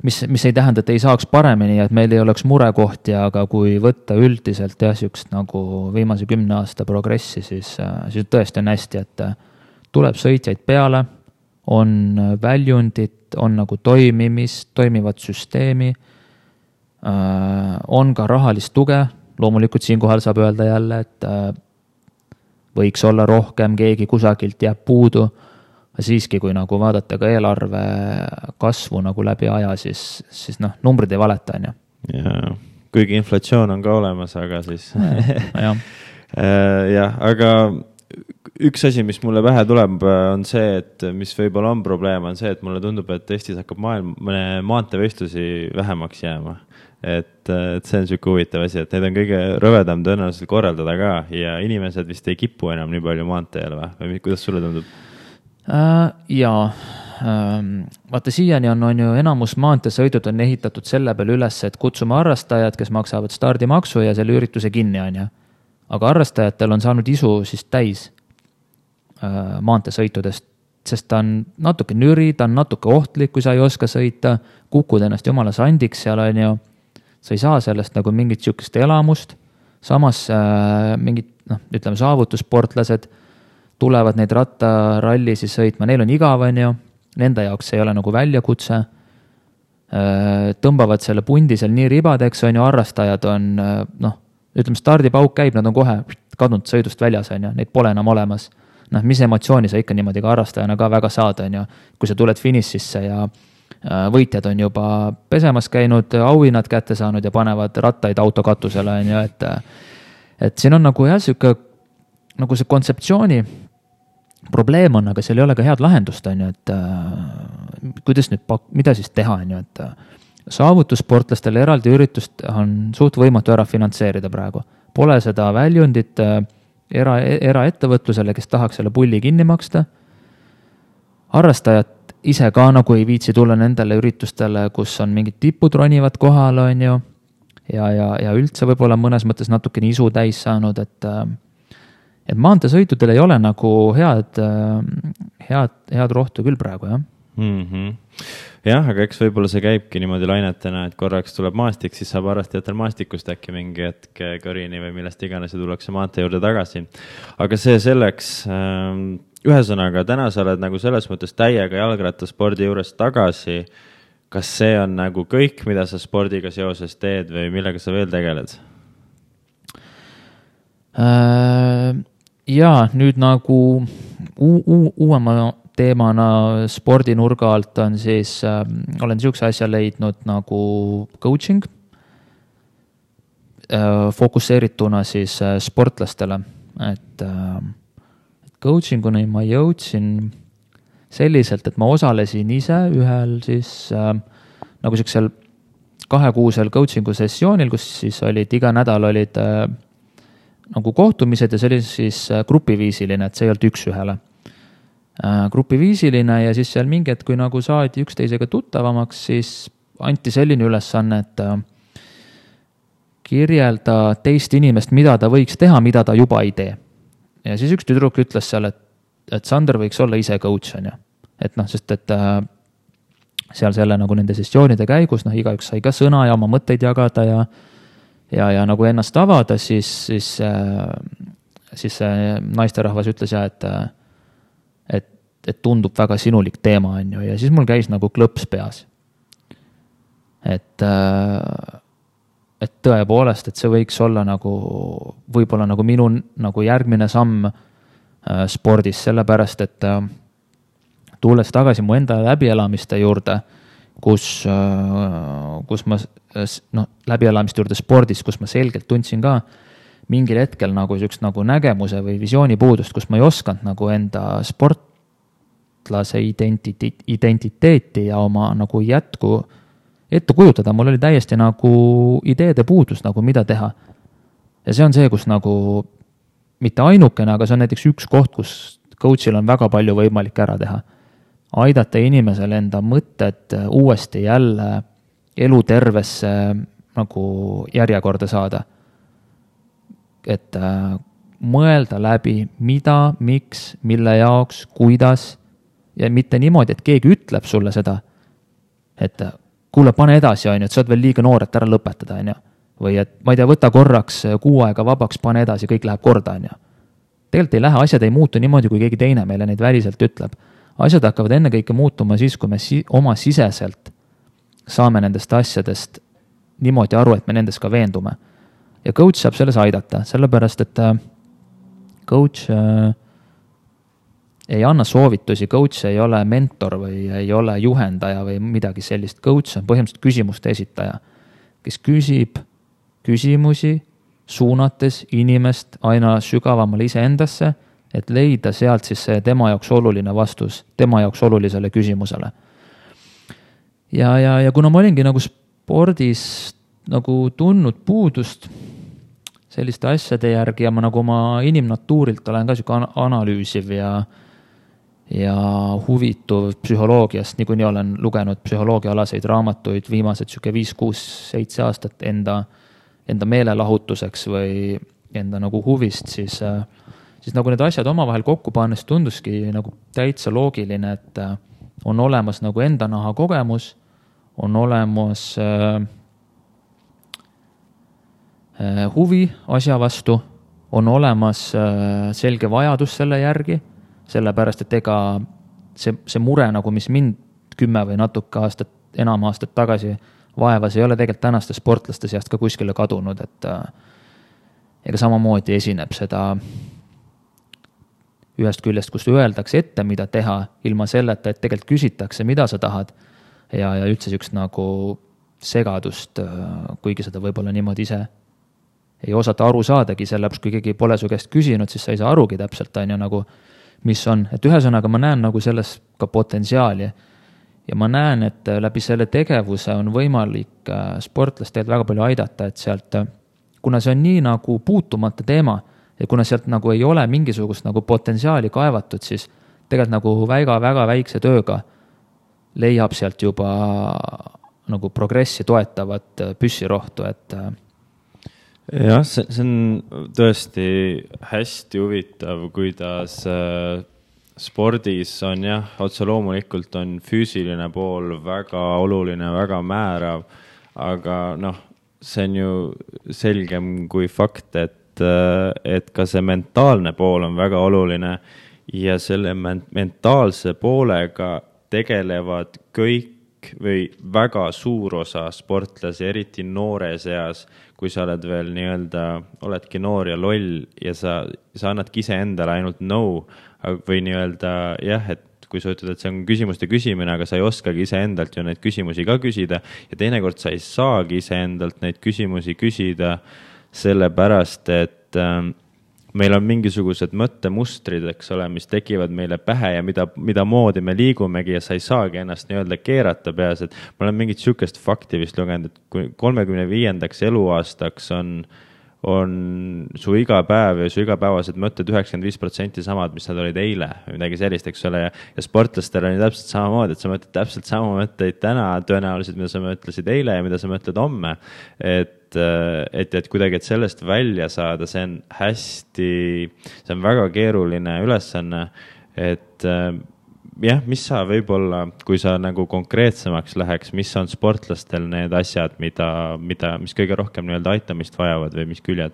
mis ei tähenda, et ei saaks paremini, et meil ei oleks murekohti, aga kui võtta üldiselt niisugust nagu viimase 10 aasta progressi, siis tõesti on hästi, et tuleb sõitjaid peale, on väljundit, on nagu toimivat süsteemi, on ka rahalist tuge, loomulikult siinkohal saab öelda jälle, et võiks olla rohkem, keegi kusagilt jääb puudu, siiski, kui nagu vaadata ka eelarve kasvu nagu läbi aja, siis numbrid ei valeta, on ju. Ja, kuigi inflatsioon on ka olemas, aga siis jah, aga üks asi, mis mulle pähe tuleb, on see, et mis võib-olla on probleem, on see, et mulle tundub, et Eestis hakkab maanteevõistlusi vähemaks jääma. Et see on niisugune huvitav asi, et need on kõige rõvedam tõenäoliselt korraldada ka ja inimesed vist ei kipu enam nii palju maanteel või kuidas sulle tundub? Vaata siiani on ju enamus maanteesõidud on ehitatud selle peale üles, et kutsume harrastajad, kes maksavad stardimaksu ja selle ürituse kinni, on ju. Aga harrastajatel on saanud isu siis täis maanteesõitudest, sest ta on natuke nüri, ta on natuke ohtlik, kui sa ei oska sõita, kukud ennast jumala sandiks seal, on ju. Sa ei saa sellest nagu mingit niisugust elamust, samas mingid, ütleme, saavutussportlased tulevad neid rattaralli siis sõitma, neil on igav, on ju, nende jaoks ei ole nagu väljakutse, tõmbavad selle pundi seal nii ribadeks, on ju, harrastajad on, ütleme, stardipauk käib, nad on kohe kadunud sõidust väljas, on ju, neid pole enam olemas. Mis emotsiooni sa ikka niimoodi ka harrastajana ka väga saad, on ju, kui sa tuled finišisse ja võitjad on juba pesemas käinud, auhinnad kätte saanud ja panevad rattaid autokatusele, on ju, et siin on nagu jah, nagu see kontseptsiooni probleem on, aga seal ei ole ka head lahendust, on ju, et kuidas nüüd, mida siis teha, on ju, saavutussportlastele eraldi üritust on suht võimatu ära finantseerida praegu. Pole seda väljundit eraettevõtlusele, kes tahaks selle pulli kinni maksta. Harrastajad ise ka nagu ei viitsi tulla nendele üritustele, kus on mingid tipud ronivad kohal, on ju, ja üldse võib-olla mõnes mõttes natukene isu täis saanud, et maanteesõitudel ei ole nagu head rohtu küll praegu, jah. Jah, aga eks võib-olla see käibki niimoodi lainetena, et korraks tuleb maastik, siis saab harrastajatel maastikust äkki mingi hetk kõrini või millest iganes ja tullakse maantee juurde tagasi. Aga see selleks, ühesõnaga, täna sa oled nagu selles mõttes täiega jalgrattaspordi juures tagasi. Kas see on nagu kõik, mida sa spordiga seoses teed või millega sa veel tegeled? Jaa, nüüd nagu uuema teemana spordinurga alt on siis, olen niisuguse asja leidnud nagu coaching, fokusseerituna siis sportlastele, et coachinguni ma jõudsin selliselt, et ma osalesin ise ühel siis nagu sellisel 2-kuusel coachingu sessioonil, kus siis olid iga nädal olid nagu kohtumised ja see oli siis grupiviisiline, et see ei olnud üks-ühele. Grupiviisiline ja siis seal mingi, et kui nagu saadi üksteisega tuttavamaks, siis anti selline ülesanne, et kirjelda teist inimest, mida ta võiks teha, mida ta juba ei tee. Ja siis üks tüdruk ütles seal, et Sander võiks olla ise coach, on ju. Et noh, sest et seal selle nagu nende sessioonide käigus, noh, igaüks sai ka sõna ja oma mõtteid jagada ja nagu ennast avada, siis naisterahvas ütles ja, et tundub väga sinulik teema, on ju, ja siis mul käis nagu klõps peas. Et tõepoolest, et see võiks olla nagu, võib-olla nagu minu nagu järgmine samm spordis, sellepärast, et tulles tagasi mu enda läbielamiste juurde, kus ma, noh, läbielamiste juurde spordis, kus ma selgelt tundsin ka mingil hetkel nagu sellist nagu nägemuse või visiooni puudust, kus ma ei osanud nagu enda sportlase identiteeti ja oma nagu ette kujutada, mul oli täiesti nagu ideede puudus, nagu mida teha. Ja see on see, kus nagu mitte ainukene, aga see on näiteks üks koht, kus coachil on väga palju võimalik ära teha. Aidata inimesele enda mõtted uuesti jälle elutervesse nagu järjekorda saada. Et mõelda läbi, mida, miks, mille jaoks, kuidas ja mitte niimoodi, et keegi ütleb sulle seda, et kuule, pane edasi, on ju, et sa oled veel liiga noor, et ära lõpetada, on ju. Või et ma ei tea, võta korraks 6 aega vabaks, pane edasi, kõik läheb korda, on ju. Tegelikult ei lähe, asjad ei muutu niimoodi, kui keegi teine meile neid väliselt ütleb. Asjad hakkavad ennekõike muutuma siis, kui me oma siseselt saame nendest asjadest niimoodi aru, et me nendest ka veendume. Ja coach saab selles aidata, sellepärast, et coach ei anna soovitusi, coach ei ole mentor või ei ole juhendaja või midagi sellist. Coach on põhimõtteliselt küsimuste esitaja, kes küsib küsimusi, suunates inimest aina sügavamale iseendasse, et leida sealt siis see tema jaoks oluline vastus, tema jaoks olulisele küsimusele. Ja kuna ma olingi nagu spordis nagu tundnud puudust selliste asjade järgi ja ma nagu oma inimnatuurilt olen ka siuke analüüsiv ja huvituv psühholoogiast, niikuinii olen lugenud psühholoogiaalaseid raamatuid viimased 5, 6, 7 aastat enda meelelahutuseks või enda nagu huvist, siis nagu need asjad omavahel kokku pannes tunduski nagu täitsa loogiline, et on olemas nagu enda naha kogemus, on olemas huvi asja vastu, on olemas selge vajadus selle järgi, sellepärast, et ega see mure, nagu mis mind 10 või natuke enam aastat tagasi vaevas, ei ole tegelikult tänaste sportlaste seast ka kuskile kadunud, et ega samamoodi esineb seda ühest küljest, kus öeldakse ette, mida teha, ilma selleta, et tegelikult küsitakse, mida sa tahad ja üldse siukest nagu segadust, kuigi seda võib-olla niimoodi ise ei osata aru saadagi, sellepärast kui keegi pole su käest küsinud, siis sa ei saa arugi täpselt, on ju, nagu mis on, et ühesõnaga ma näen nagu selles ka potentsiaali ja ma näen, et läbi selle tegevuse on võimalik sportlast tegelikult väga palju aidata, et sealt, kuna see on nii nagu puutumata teema ja kuna sealt nagu ei ole mingisugust nagu potentsiaali kaevatud, siis tegelikult nagu väga väikse tööga leiab sealt juba nagu progressi toetavat püssirohtu, et jah, see on tõesti hästi huvitav, kuidas spordis on jah, otse loomulikult on füüsiline pool väga oluline, väga määrav, aga noh, see on ju selgem kui fakt, et ka see mentaalne pool on väga oluline ja selle mentaalse poolega tegelevad kõik või väga suur osa sportlasi, eriti noores eas, kui sa oled veel nii-öelda, oledki noor ja loll ja sa annadki ise endale ainult no, või nii-öelda jah, et kui sa ütled, et see on küsimuste küsimine, aga sa ei oskagi ise endalt ju neid küsimusi ka küsida ja teinekord sa ei saagi ise endalt neid küsimusi küsida sellepärast, et meil on mingisugused mõttemustrid, eks ole, mis tekivad meile pähe ja mida moodi me liigumegi ja sa ei saagi ennast nii-öelda keerata peas, et ma olen mingit sükest fakti vist lugenud, et kui 35. eluaastaks on su iga päev ja su igapäevased mõtted 95% samad, mis nad olid eile või midagi sellist, eks ole, ja sportlastel on ju täpselt samamoodi, et sa mõtled täpselt sama mõtteid täna tõenäoliselt, mida sa mõtlesid eile ja mida sa mõtled homme, et kuidagi, et sellest välja saada, see on väga keeruline ülesanne, et jah, mis sa võib-olla, kui sa nagu konkreetsemaks läheks, mis on sportlastel need asjad, mis kõige rohkem nii-öelda aitamist vajavad või mis küljed?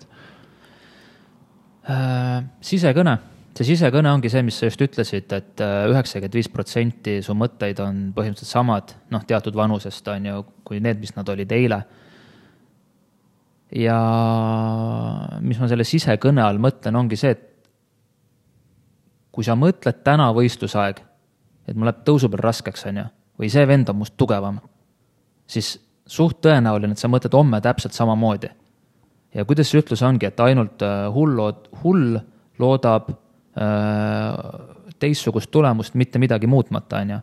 Sisekõne. See sisekõne ongi see, mis sa just ütlesid, et 95% su mõtteid on põhimõtteliselt samad, teatud vanusest on ju, kui need, mis nad olid eile. Ja mis ma selle sisekõne all mõtlen, ongi see, et kui sa mõtled täna võistlusaeg, et mul läheb tõusu peal raskeks, on ju, või see vend on must tugevam, siis suht tõenäoline, et sa mõtled homme täpselt samamoodi. Ja kuidas see ütlus ongi, et ainult hull loodab teistsugust tulemust, mitte midagi muutmata, on ju.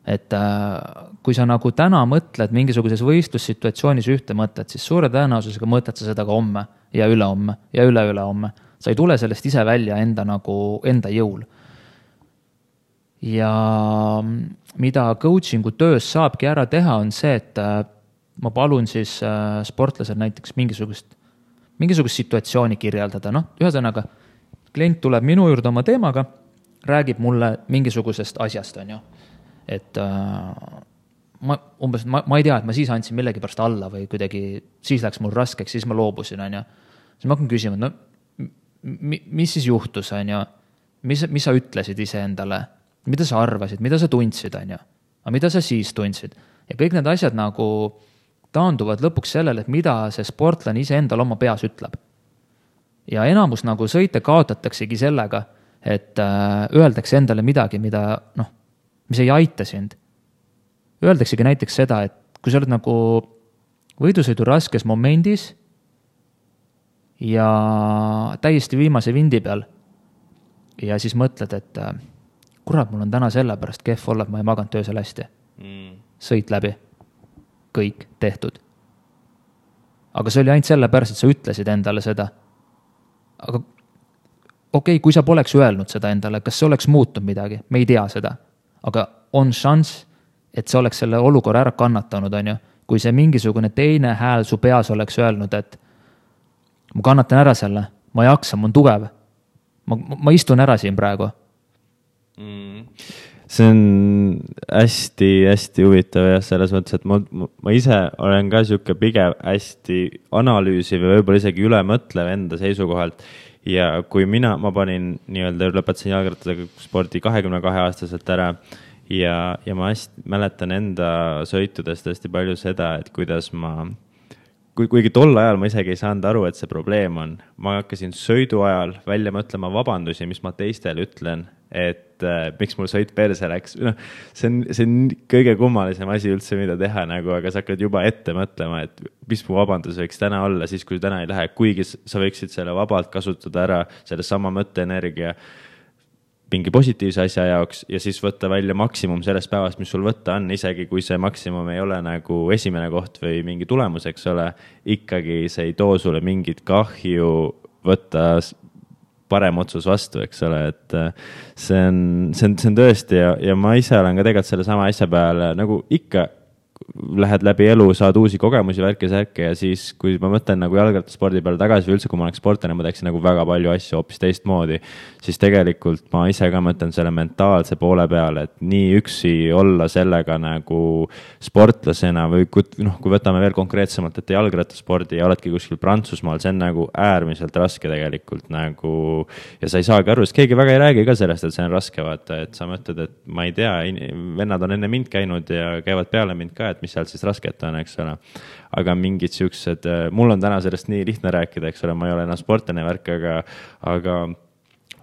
Et kui sa nagu täna mõtled mingisuguses võistlussituatsioonis ühte mõtet, siis suure tõenäosusega mõtled sa seda ka homme ja ülehomme ja üle-ülehomme. Sa ei tule sellest ise välja enda jõul. Ja mida coachingu töös saabki ära teha, on see, et ma palun siis sportlasel näiteks mingisugust situatsiooni kirjeldada. Ühesõnaga, klient tuleb minu juurde oma teemaga, räägib mulle mingisugusest asjast, on ju. Et ma ei tea, et ma siis andsin millegi pärast alla või kuidagi, siis läks mul raskeks, siis ma loobusin, on ju. Siis ma hakkan küsima, mis siis juhtus, on ju? Mis sa ütlesid ise endale? Mida sa arvasid? Mida sa tundsid, on ju? Aga mida sa siis tundsid? Ja kõik need asjad nagu taanduvad lõpuks sellele, et mida see sportlane ise endal oma peas ütleb. Ja enamus nagu sõite kaotataksegi sellega, et öeldakse endale midagi, mis ei aita sind. Öeldaksegi näiteks seda, et kui sa oled nagu võidusõidu raskes momendis ja täiesti viimase vindi peal ja siis mõtled, et kurat, mul on täna selle pärast kehv olla, et ma ei maganud töösel hästi. Sõit läbi. Kõik tehtud. Aga see oli ainult selle pärast, et sa ütlesid endale seda. Aga okei, kui sa poleks öelnud seda endale, kas see oleks muutunud midagi? Me ei tea seda. Aga on šanss, et see oleks selle olukorra ära kannatanud, on ju. Kui see mingisugune teine hääl su peas oleks öelnud, et ma kannatan ära selle, ma ei jaksa, ma on tugev. Ma istun ära siin praegu. See on hästi huvitav ja selles mõttes, et ma ise olen ka siuke pigem hästi analüüsiv ja võib-olla isegi ülemõtlev enda seisukohalt. Ja kui ma panin nii-öelda lõpetasin jalgrattasega spordi 22-aastaselt ära ja ma hästi mäletan enda sõitudest hästi palju seda, et kuidas kuigi tol ajal ma isegi ei saanud aru, et see probleem on. Ma hakkasin sõidu ajal välja mõtlema vabandusi, mis ma teistele ütlen, et miks mul sõit perse läks. See on kõige kummalisem asi üldse, mida teha, aga sa hakkad juba ette mõtlema, et mis mu vabandus võiks täna olla, siis kui täna ei lähe, kuigi sa võiksid selle vabalt kasutada ära, selle sama mõtteenergia mingi positiivse asja jaoks ja siis võtta välja maksimum sellest päevast, mis sul võtta on, isegi kui see maksimum ei ole nagu esimene koht või mingi tulemus, eks ole, ikkagi see ei too sulle mingit kahju võtta parem otsus vastu, eks ole, et see on tõesti ja ma ise olen ka tegelikult selle sama asja peale nagu ikka lähed läbi elu, saad uusi kogemusi, värke ja siis, kui ma mõtlen nagu jalgrattaspordi peale tagasi või üldse, kui ma oleks sportlane, ma teeksin nagu väga palju asju hoopis teistmoodi, siis tegelikult ma ise ka mõtlen selle mentaalse poole peale, et nii üksi olla sellega nagu sportlasena või kui võtame veel konkreetsemalt, et jalgrattaspordi ja oledki kuskil Prantsusmaal, see on nagu äärmiselt raske tegelikult nagu ja sa ei saagi aru, sest keegi väga ei räägi ka sellest, et see on raske, vaata, et sa mõtled, et ma ei tea, vennad on enne mind käinud ja käivad peale mind ka, et mis sealt siis rasket on, eks ole. Aga mingid siuksed, mul on täna sellest nii lihtne rääkida, eks ole, ma ei ole enam sportlane värk, aga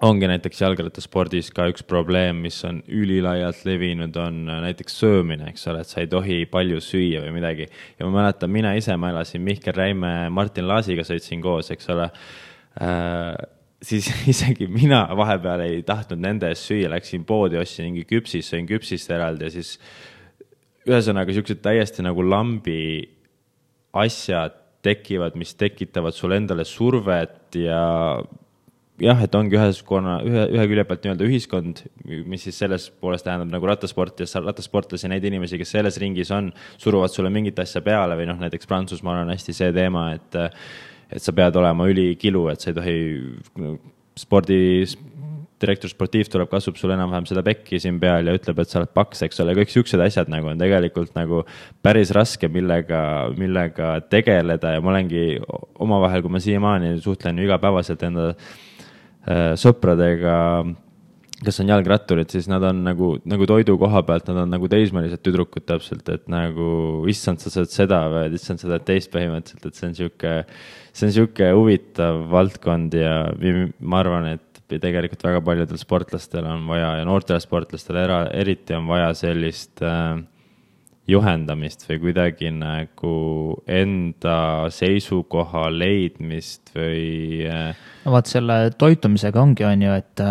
ongi näiteks jalgrattaspordis ka üks probleem, mis on ülilaialt levinud, on näiteks söömine, eks ole, et sa ei tohi palju süüa või midagi. Ja ma mäletan, ma elasin Mihkel Räime, Martin Laasiga sõitsin koos, eks ole. Siis isegi mina vahepeal ei tahtnud nende ees süüa, läksin poodi, ostsin mingi küpsis, sõin küpsist eraldi ja siis ühesõnaga siuksed täiesti nagu lambi asjad tekivad, mis tekitavad sulle endale survet ja jah, et ongi ühe külje pealt nii-öelda ühiskond, mis siis selles poolest tähendab nagu rattasportlasi, neid inimesi, kes selles ringis on, suruvad sulle mingit asja peale või näiteks Prantsusmaal on hästi see teema, et sa pead olema ülikilu, et sa ei tohi direktor sportiiv tuleb, kasub sul enam-vähem seda pekki siin peal ja ütleb, et sa oled paks, eks ole, kõik siuksed asjad nagu on tegelikult nagu päris raske, millega tegeleda ja ma olengi omavahel, kui ma siiamaani suhtlen igapäevaselt enda sõpradega, kes on jalgratturid, siis nad on nagu toidu koha pealt, nad on nagu teismelised tüdrukud täpselt, et nagu issand, sa saad seda või issand, sa saad teist põhimõtteliselt, et see on siuke huvitav valdkond ja ma arvan, et tegelikult väga paljudel sportlastel on vaja ja noortel sportlastel eriti on vaja sellist juhendamist või kuidagi nagu enda seisukoha leidmist või... No vaat selle toitumisega ongi on ju, et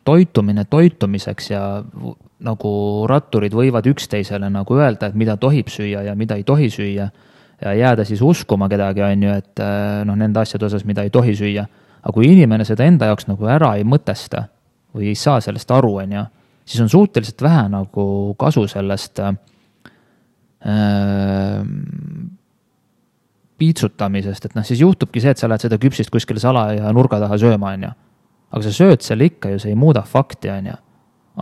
toitumine toitumiseks ja nagu ratturid võivad üksteisele nagu öelda, et mida tohib süüa ja mida ei tohi süüa ja jääda siis uskuma kedagi on ju, et nende asjade osas, mida ei tohi süüa. Aga kui inimene seda enda jaoks nagu ära ei mõtesta või ei saa sellest aru, on ju, siis on suhteliselt vähe nagu kasu sellest piitsutamisest, et siis juhtubki see, et sa lähed seda küpsist kuskile sala ja nurga taha sööma, on ju. Aga sa sööd selle ikka ju, see ei muuda fakti, on ju.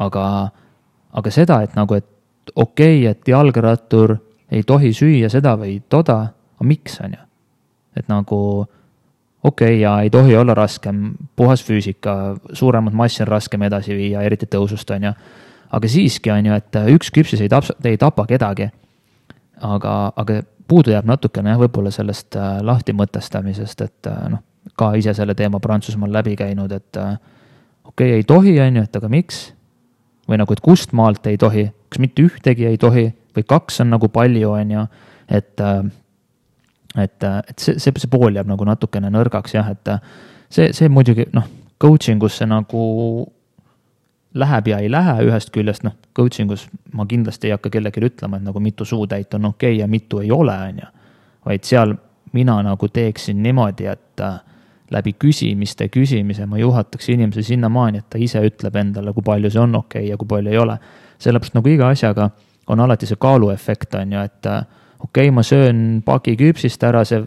Aga seda, et nagu, et okei, et jalgrattur ei tohi süüa seda või toda, aga miks, on ju? Et nagu okei, ja ei tohi olla raskem, puhas füüsika, suuremad massi on raskem edasi viia, eriti tõusust, on ju. Aga siiski on ju, et üks küpsis ei tapa kedagi. Aga puudu jääb natukene võib-olla sellest lahti mõtestamisest, et ka ise selle teema Prantsusmaal läbi käinud, et okei, ei tohi, on ju, et aga miks? Või nagu, et kust maalt ei tohi, kas mitte ühtegi ei tohi või kaks on nagu palju, on ju, et see pool jääb nagu natukene nõrgaks, jah, et see muidugi, coachingusse nagu läheb ja ei lähe ühest küljest, coachingus ma kindlasti ei hakka kellelegi ütlema, et nagu mitu suutäit on okei ja mitu ei ole, on ju. Vaid seal mina nagu teeksin niimoodi, et läbi küsimise ma juhataks inimese sinnamaani, et ta ise ütleb endale, kui palju see on okei ja kui palju ei ole. Sellepärast nagu iga asjaga on alati see kaaluefekt, on ju, et okei, ma söön pagi küpsist ära, see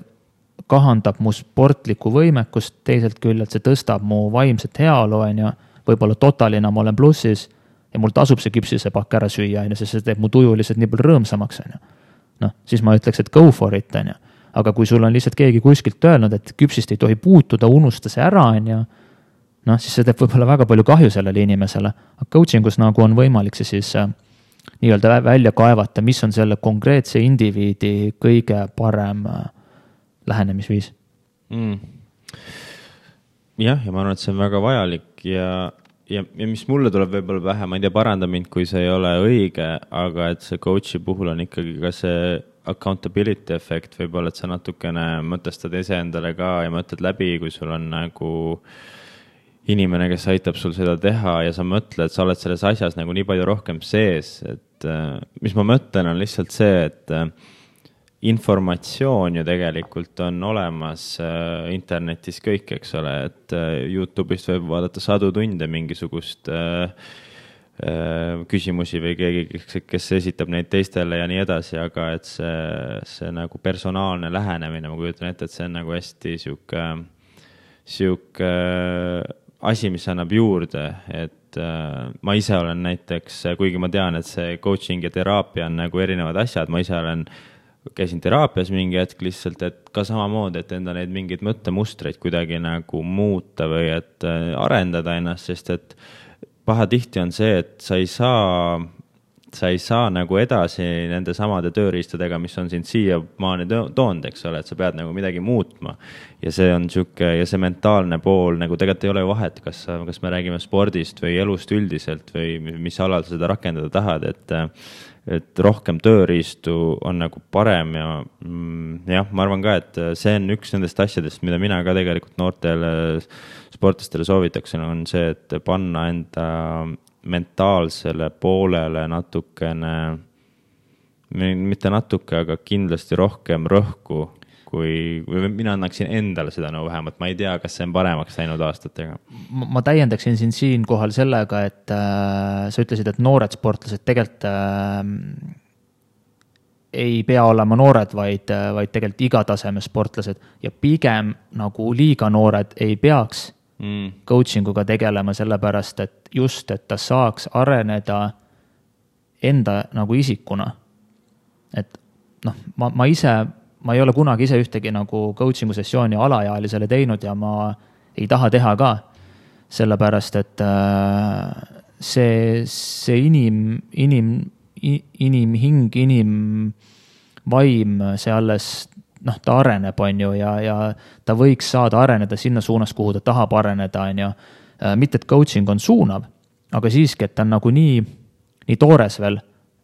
kahandab mu sportlikku võimekust, teiselt küljelt see tõstab mu vaimset heaolu, on ju, võib-olla totalina ma olen plussis ja mul tasub see küpsise pakk ära süüa, sest see teeb mu tuju lihtsalt nii palju rõõmsamaks, on ju. Siis ma ütleks, et go for it, on ju. Aga kui sul on lihtsalt keegi kuskilt öelnud, et küpsist ei tohi puutuda, unusta see ära, on ju, siis see teeb võib-olla väga palju kahju sellele inimesele. Aga coachingus nagu on võimalik see siis nii-öelda välja kaevata, mis on selle konkreetse indiviidi kõige parem lähenemisviis. Jah, ja ma arvan, et see on väga vajalik ja mis mulle tuleb võib-olla pähe, ma ei tea, paranda mind, kui see ei ole õige, aga et see coachi puhul on ikkagi ka see accountability efekt, võib-olla, et sa natukene mõtestad ise endale ka ja mõtled läbi, kui sul on nagu inimene, kes aitab sul seda teha ja sa mõtled, sa oled selles asjas nagu nii palju rohkem sees, et mis ma mõtlen, on lihtsalt see, et informatsioon ju tegelikult on olemas internetis kõik, eks ole, et YouTube'ist võib vaadata sadu tunde mingisugust küsimusi või keegi, kes esitab neid teistele ja nii edasi, aga et see nagu personaalne lähenemine, ma kujutan ette, et see on nagu hästi sihuke asi, mis annab juurde, et ma ise olen näiteks, kuigi ma tean, et see coaching ja teraapia on nagu erinevad asjad, ma ise käisin teraapias mingi hetk lihtsalt, et ka samamoodi, et enda neid mingeid mõttemustreid kuidagi nagu muuta või et arendada ennast, sest et pahatihti on see, et sa ei saa nagu edasi nende samade tööriistadega, mis on sind siiamaani toonud, eks ole, et sa pead nagu midagi muutma. Ja see on ja see mentaalne pool, nagu tegelikult ei ole vahet, kas me räägime spordist või elust üldiselt või mis alal sa seda rakendada tahad, et rohkem tööriistu on nagu parem ja jah, ma arvan ka, et see on üks nendest asjadest, mida mina ka tegelikult noortele sportlastele soovitaksin, on see, et panna enda mentaalsele poolele natukene, mitte natuke, aga kindlasti rohkem rõhku, kui mina annaksin endale seda no vähemalt, ma ei tea, kas see on paremaks läinud aastatega. Ma täiendaksin siinkohal sellega, et sa ütlesid, et noored sportlased tegelikult ei pea olema noored, vaid tegelikult iga taseme sportlased ja pigem nagu liiga noored ei peaks coachinguga tegelema, sellepärast, et just, et ta saaks areneda enda nagu isikuna. Et ma ei ole kunagi ise ühtegi nagu coachingu sessiooni alaealisele teinud ja ma ei taha teha ka, sellepärast, et see inimhing, inimvaim, see alles ta areneb, on ju, ja ta võiks saada areneda sinna suunas, kuhu ta tahab areneda, on ju. Mitte, et coaching on suunav, aga siiski, et ta on nagu nii toores veel,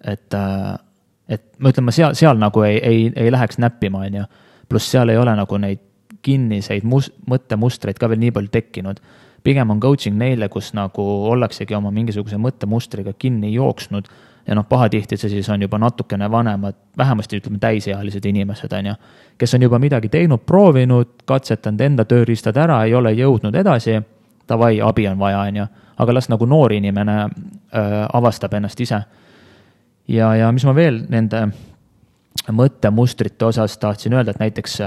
et ma ütlen, ma seal nagu ei läheks näppima, on ju. Pluss seal ei ole nagu neid kinniseid mõttemustreid ka veel nii palju tekkinud. Pigem on coaching neile, kus nagu ollaksegi oma mingisuguse mõttemustriga kinni jooksnud ja pahatihti see siis on juba natukene vanemad, vähemasti ütleme täisealised inimesed, on ju, kes on juba midagi teinud, proovinud, katsetanud enda tööriistad ära, ei ole jõudnud edasi, davai, abi on vaja, on ju, aga las nagu noor inimene avastab ennast ise. Ja mis ma veel nende mõttemustrite osas tahtsin öelda, et näiteks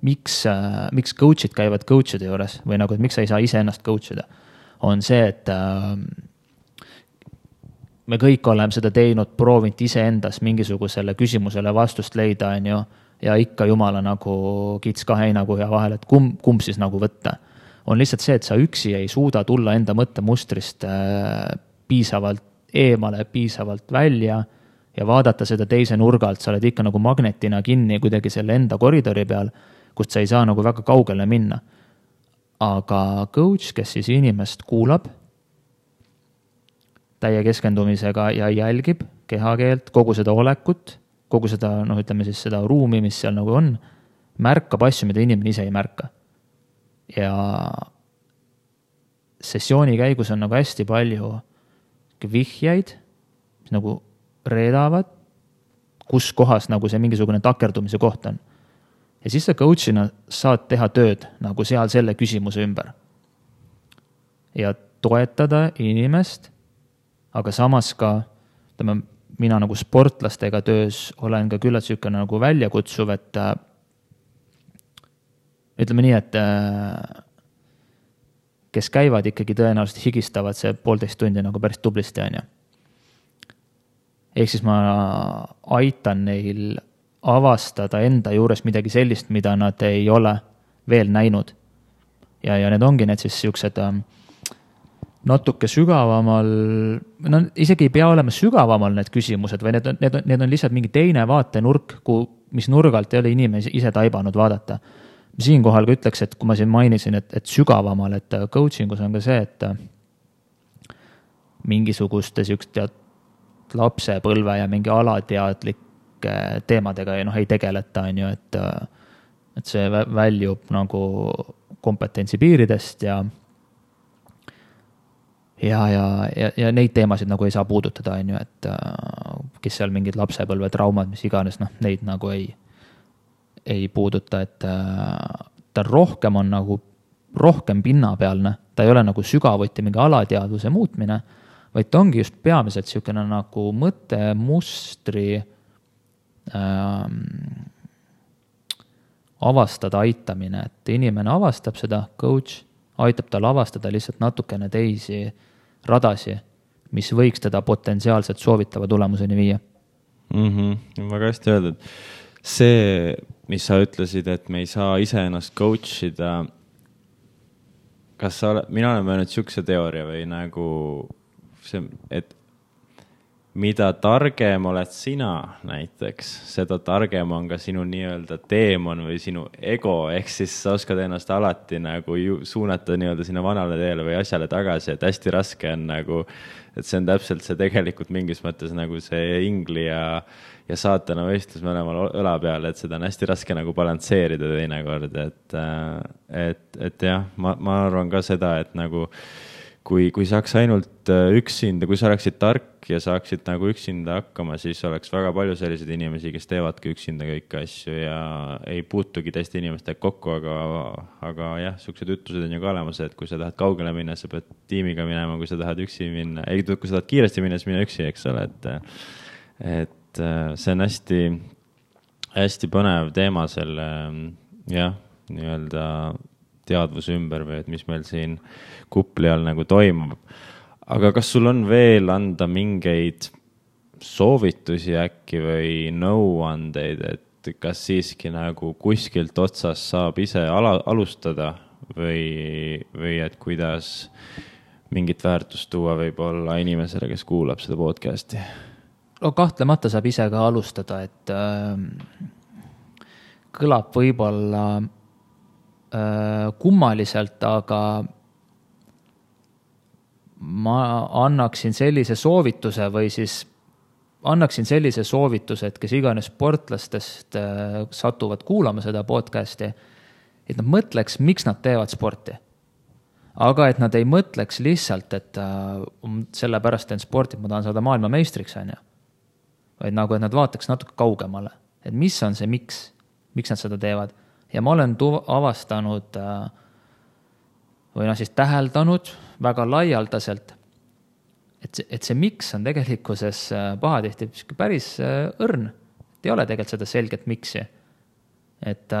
miks coach'id käivad coach'ide juures või nagu, et miks sa ei saa ise ennast coach'ida, on see, et me kõik oleme seda teinud, proovinud iseendas mingisugusele küsimusele vastust leida, on ju, ja ikka jumala nagu kits kahe heinakuhja vahel, et kumb siis nagu võtta. On lihtsalt see, et sa üksi ei suuda tulla enda mõttemustrist piisavalt eemale, piisavalt välja ja vaadata seda teise nurgalt, sa oled ikka nagu magnetina kinni kuidagi selle enda koridori peal, kust sa ei saa nagu väga kaugele minna. Aga coach, kes siis inimest kuulab, täie keskendumisega ja jälgib kehakeelt, kogu seda olekut, kogu seda, ütleme siis seda ruumi, mis seal nagu on, märkab asju, mida inimene ise ei märka. Ja sessiooni käigus on nagu hästi palju vihjeid, mis nagu reedavad, kus kohas nagu see mingisugune takerdumise koht on. Ja siis sa coachina saad teha tööd nagu seal selle küsimuse ümber. Ja toetada inimest, aga samas ka, mina nagu sportlastega töös olen ka küllalt sükene nagu väljakutsuv, et ütleme nii, et kes käivad ikkagi tõenäoliselt higistavad see 1,5 tundi nagu päris tublisti, on ju. Ehk siis ma aitan neil avastada enda juures midagi sellist, mida nad ei ole veel näinud. Ja need ongi need siis siuksed natuke sügavamal, isegi ei pea olema sügavamal need küsimused, või need on lihtsalt mingi teine vaatenurk, mis nurgalt ei ole inimesi ise taibanud vaadata. Siinkohal ka ütleks, et kui ma siin mainisin, et sügavamal, et coachingus on ka see, et mingisuguste siukest lapsepõlve ja mingi alateadlike teemadega ei tegeleta, on ju, et see väljub nagu kompetentsi piiridest ja ja neid teemasid nagu ei saa puudutada, on ju, et kes seal mingid lapsepõlve traumad, mis iganes, noh, neid nagu ei puuduta, et ta rohkem on nagu rohkem pinnapealne, ta ei ole nagu sügavuti mingi alateadvuse muutmine, vaid ta ongi just peamiselt niisugune nagu mõttemustri avastada aitamine, et inimene avastab seda, coach aitab tal avastada lihtsalt natukene teisi radasi, mis võiks teda potentsiaalselt soovitava tulemuseni viia. Väga hästi öeldud. See, mis sa ütlesid, et me ei saa ise ennast coach ida, kas sa oled, mina olen mõelnud niisuguse teooria või nagu see, et mida targem oled sina näiteks, seda targem on ka sinu nii-öelda teemon või sinu ego, ehk siis sa oskad ennast alati nagu suunata nii-öelda sinna vanale teele või asjale tagasi, et hästi raske on nagu, et see on täpselt see tegelikult mingis mõttes nagu see ingli ja saatana võistlus mõlemal õla peal, et seda on hästi raske nagu balansseerida teinekord, et jah, ma arvan ka seda, et nagu kui saaks ainult üksinda, kui sa oleksid tark ja saaksid nagu üksinda hakkama, siis oleks väga palju selliseid inimesi, kes teevadki üksinda kõiki asju ja ei puutugi teiste inimestega kokku, aga jah, sellised ütlused on ju ka olemas, et kui sa tahad kaugele minna, sa pead tiimiga minema, kui sa tahad üksi minna, kui sa tahad kiiresti minna, siis mine üksi, eks ole, et see on hästi põnev teema selle, jah, nii-öelda teadvuse ümber või et mis meil siin kupli all nagu toimub. Aga kas sul on veel anda mingeid soovitusi äkki või nõuandeid, et kas siiski nagu kuskilt otsast saab ise alustada või et kuidas mingit väärtust tuua võib-olla inimesele, kes kuulab seda podcasti? No kahtlemata saab ise ka alustada, et kõlab võib-olla kummaliselt, aga ma annaksin sellise soovituse või siis annaksin sellise soovituse, et kes iganes sportlastest satuvad kuulama seda podcasti, et nad mõtleks, miks nad teevad sporti. Aga et nad ei mõtleks lihtsalt, et sellepärast teen sporti, ma tahan saada maailmameistriks, on ju. Vaid nagu, et nad vaataks natuke kaugemale, et mis on see miks nad seda teevad. Ja ma olen avastanud või siis täheldanud väga laialdaselt, et see miks on tegelikkuses pahatihti päris õrn. Et ei ole tegelikult seda selget miksi. Et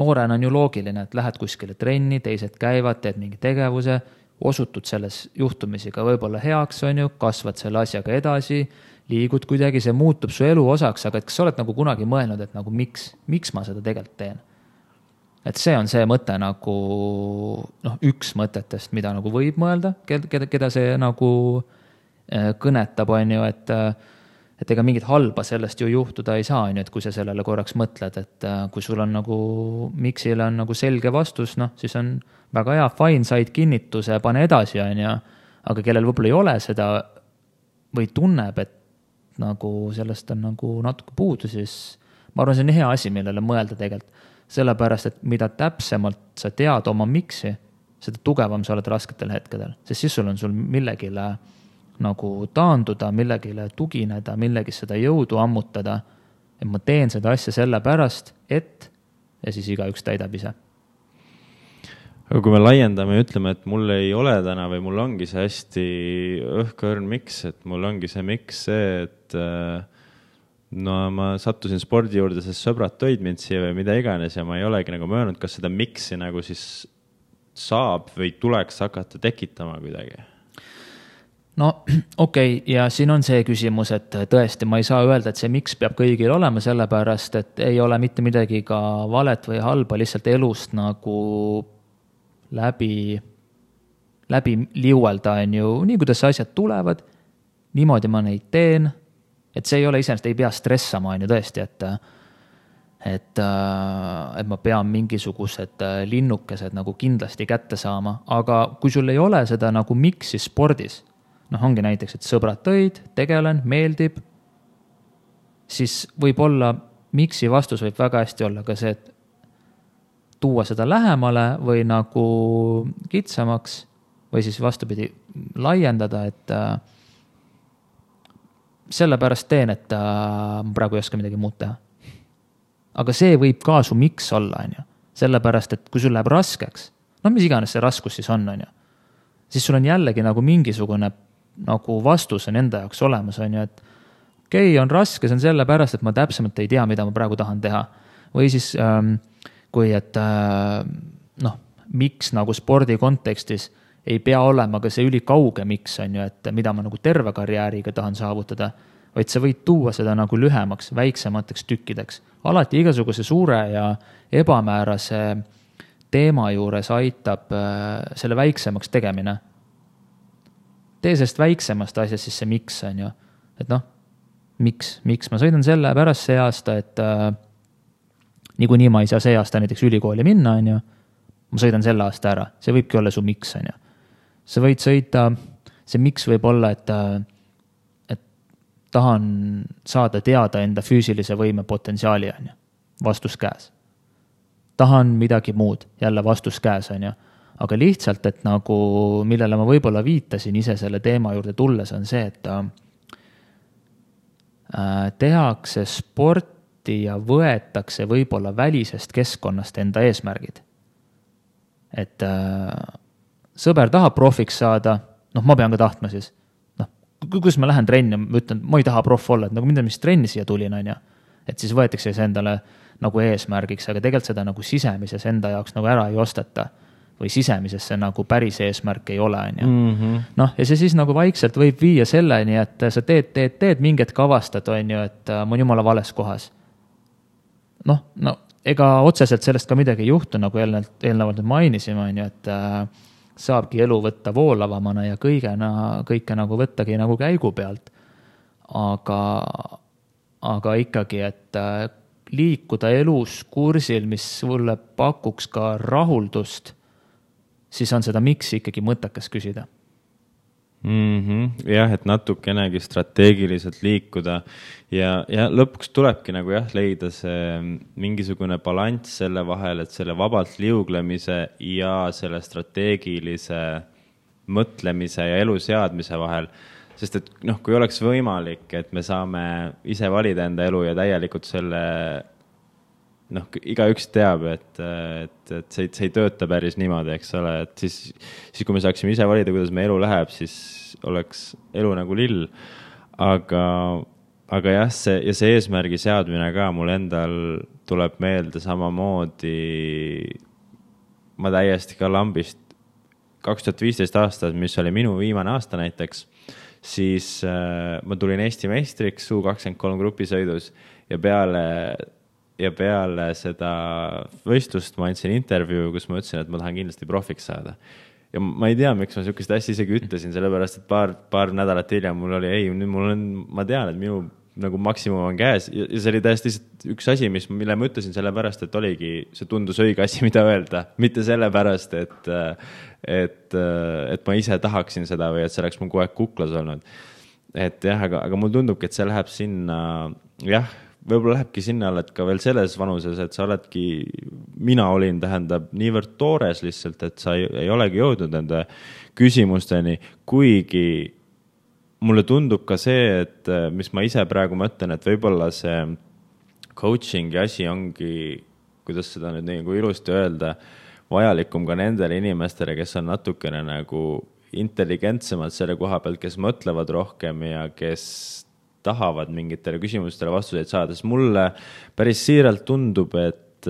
noorena on ju loogiline, et lähed kuskile trenni, teised käivad, teed mingi tegevuse, osutud selles juhtumisi ka võib-olla heaks, on ju, kasvad selle asjaga edasi, liigud kuidagi, see muutub su elu osaks, aga et kas sa oled nagu kunagi mõelnud, et nagu miks ma seda tegelikult teen? Et see on see mõte nagu, üks mõtetest, mida nagu võib mõelda, keda see nagu kõnetab, on ju, et ega mingit halba sellest ju juhtuda ei saa, on ju, et kui sa sellele korraks mõtled, et kui sul on nagu, miksile on nagu selge vastus, siis on väga hea, fine, said kinnituse, pane edasi, on ju, aga kellel võib-olla ei ole seda või tunneb, et nagu sellest on nagu natuke puudu, siis ma arvan, see on hea asi, millele mõelda tegelikult. Sellepärast, et mida täpsemalt sa tead oma miksi, seda tugevam sa oled rasketel hetkedel. Sest siis on sul millegile nagu taanduda, millegile tugineda, millegis seda jõudu ammutada. Et ma teen seda asja sellepärast, et ja siis igaüks täidab ise. Aga kui me laiendame ja ütleme, et mul ei ole täna või mul ongi see hästi õhkõrn miks, et mul ongi see miks see, et ma sattusin spordi juurde, sest sõbrad tõid mind siia või mida iganes ja ma ei olegi nagu möönud, kas seda miksi nagu siis saab või tuleks hakata tekitama kuidagi? No okei, ja siin on see küsimus, et tõesti ma ei saa öelda, et see miks peab kõigil olema, sellepärast, et ei ole mitte midagi ka valet või halba, lihtsalt elust nagu läbi liuelda, on ju, nii kuidas asjad tulevad, niimoodi ma neid teen, et see ei ole iseenesest, ei pea stressama, on ju tõesti, et ma pean mingisugused linnukesed nagu kindlasti kätte saama, aga kui sul ei ole seda nagu miksi spordis, ongi näiteks, et sõbrad tõid, tegelen, meeldib, siis võib-olla miksi vastus võib väga hästi olla ka see, et tuua seda lähemale või nagu kitsamaks või siis vastupidi laiendada, et sellepärast teen, et ma praegu ei oska midagi muud teha. Aga see võib ka su miks olla, on ju. Sellepärast, et kui sul läheb raskeks, no mis iganes see raskus siis on ju, siis sul on jällegi nagu mingisugune nagu vastus on enda jaoks olemas, on ju, et okei, on raske, see on sellepärast, et ma täpsemalt ei tea, mida ma praegu tahan teha. Või siis kui, et miks nagu spordi kontekstis ei pea olema ka see ülikauge miks on ju, et mida ma nagu terve karjääriga tahan saavutada, vaid sa võid tuua seda nagu lühemaks, väiksemateks tükkideks. Alati igasuguse suure ja ebamäärase teema juures aitab selle väiksemaks tegemine. Tee sest väiksemast asjast siis see miks on ju. Et miks ma sõidan selle pärast see aasta, et niikuinii ma ei saa see aasta näiteks ülikooli minna on ju. Ma sõidan selle aasta ära. See võibki olla su miks on ju. Sa võid sõita, see miks võib olla, et tahan saada teada enda füüsilise võime potentsiaali on ju. Vastus käes. Tahan midagi muud, jälle vastus käes on ju. Aga lihtsalt, et nagu, millele ma võib-olla viitasin ise selle teema juurde tulles, on see, et tehakse sporti ja võetakse võib-olla välisest keskkonnast enda eesmärgid. Et sõber tahab profiks saada, ma pean ka tahtma siis. Kus ma lähen trenni, ma ütlen, ma ei taha prof olla, et nagu mida mis trenni siia tulin on ja. Et siis võetakse see endale nagu eesmärgiks, aga tegelikult seda nagu sisemises enda jaoks nagu ära ei osteta või sisemises see nagu päris eesmärk ei ole on ju. Ja see siis nagu vaikselt võib viia selleni, et sa teed mingit kavastad on ju, et ma olen jumala vales kohas. Ega otseselt sellest ka midagi ei juhtu, nagu eelnevalt mainisime on ju, et saabki elu võtta voolavamana ja kõike nagu võttagi nagu käigu pealt. Aga ikkagi, et liikuda elus kursil, mis sulle pakuks ka rahuldust, siis on seda miks ikkagi mõttekas küsida. Jah, et natukenegi strateegiliselt liikuda ja lõpuks tulebki nagu leida see mingisugune balanss selle vahel, et selle vabalt liuglemise ja selle strateegilise mõtlemise ja elu seadmise vahel. Sest et kui oleks võimalik, et me saame ise valida enda elu ja täielikult selle, igaüks teab, et see ei tööta päris niimoodi, eks ole, et siis kui me saaksime ise valida, kuidas me elu läheb, siis oleks elu nagu lill. Aga jah, see eesmärgi seadmine ka mul endal tuleb meelde samamoodi, ma täiesti ka lambist 2015 aastat, mis oli minu viimane aasta näiteks, siis ma tulin Eesti meistriks U23 grupisõidus ja peale seda võistlust ma andsin intervjuu, kus ma ütlesin, et ma tahan kindlasti profiks saada. Ja ma ei tea, miks ma sihukest asja isegi ütlesin, sellepärast, et paar nädalat hiljem mul oli, ma tean, et minu nagu maksimum on käes ja see oli täiesti üks asi, mille ma ütlesin sellepärast, et oligi, see tundus õige asi, mida öelda, mitte sellepärast, et ma ise tahaksin seda või et see oleks mul kogu aeg kuklas olnud. Et jah, aga mul tundubki, et see läheb sinna, jah, võib-olla lähebki sinna, et ka veel selles vanuses, et sa oledki, mina olin, tähendab, niivõrd toores lihtsalt, et sa ei olegi jõudnud nende küsimusteni, kuigi mulle tundub ka see, et mis ma ise praegu mõtlen, et võib-olla see coachingi asi ongi, kuidas seda nüüd nagu ilusti öelda, vajalikum ka nendele inimestele, kes on natukene nagu intelligentsemad selle koha pealt, kes mõtlevad rohkem ja kes tahavad mingitele küsimustele vastuseid saada. Sest mulle päris siiralt tundub, et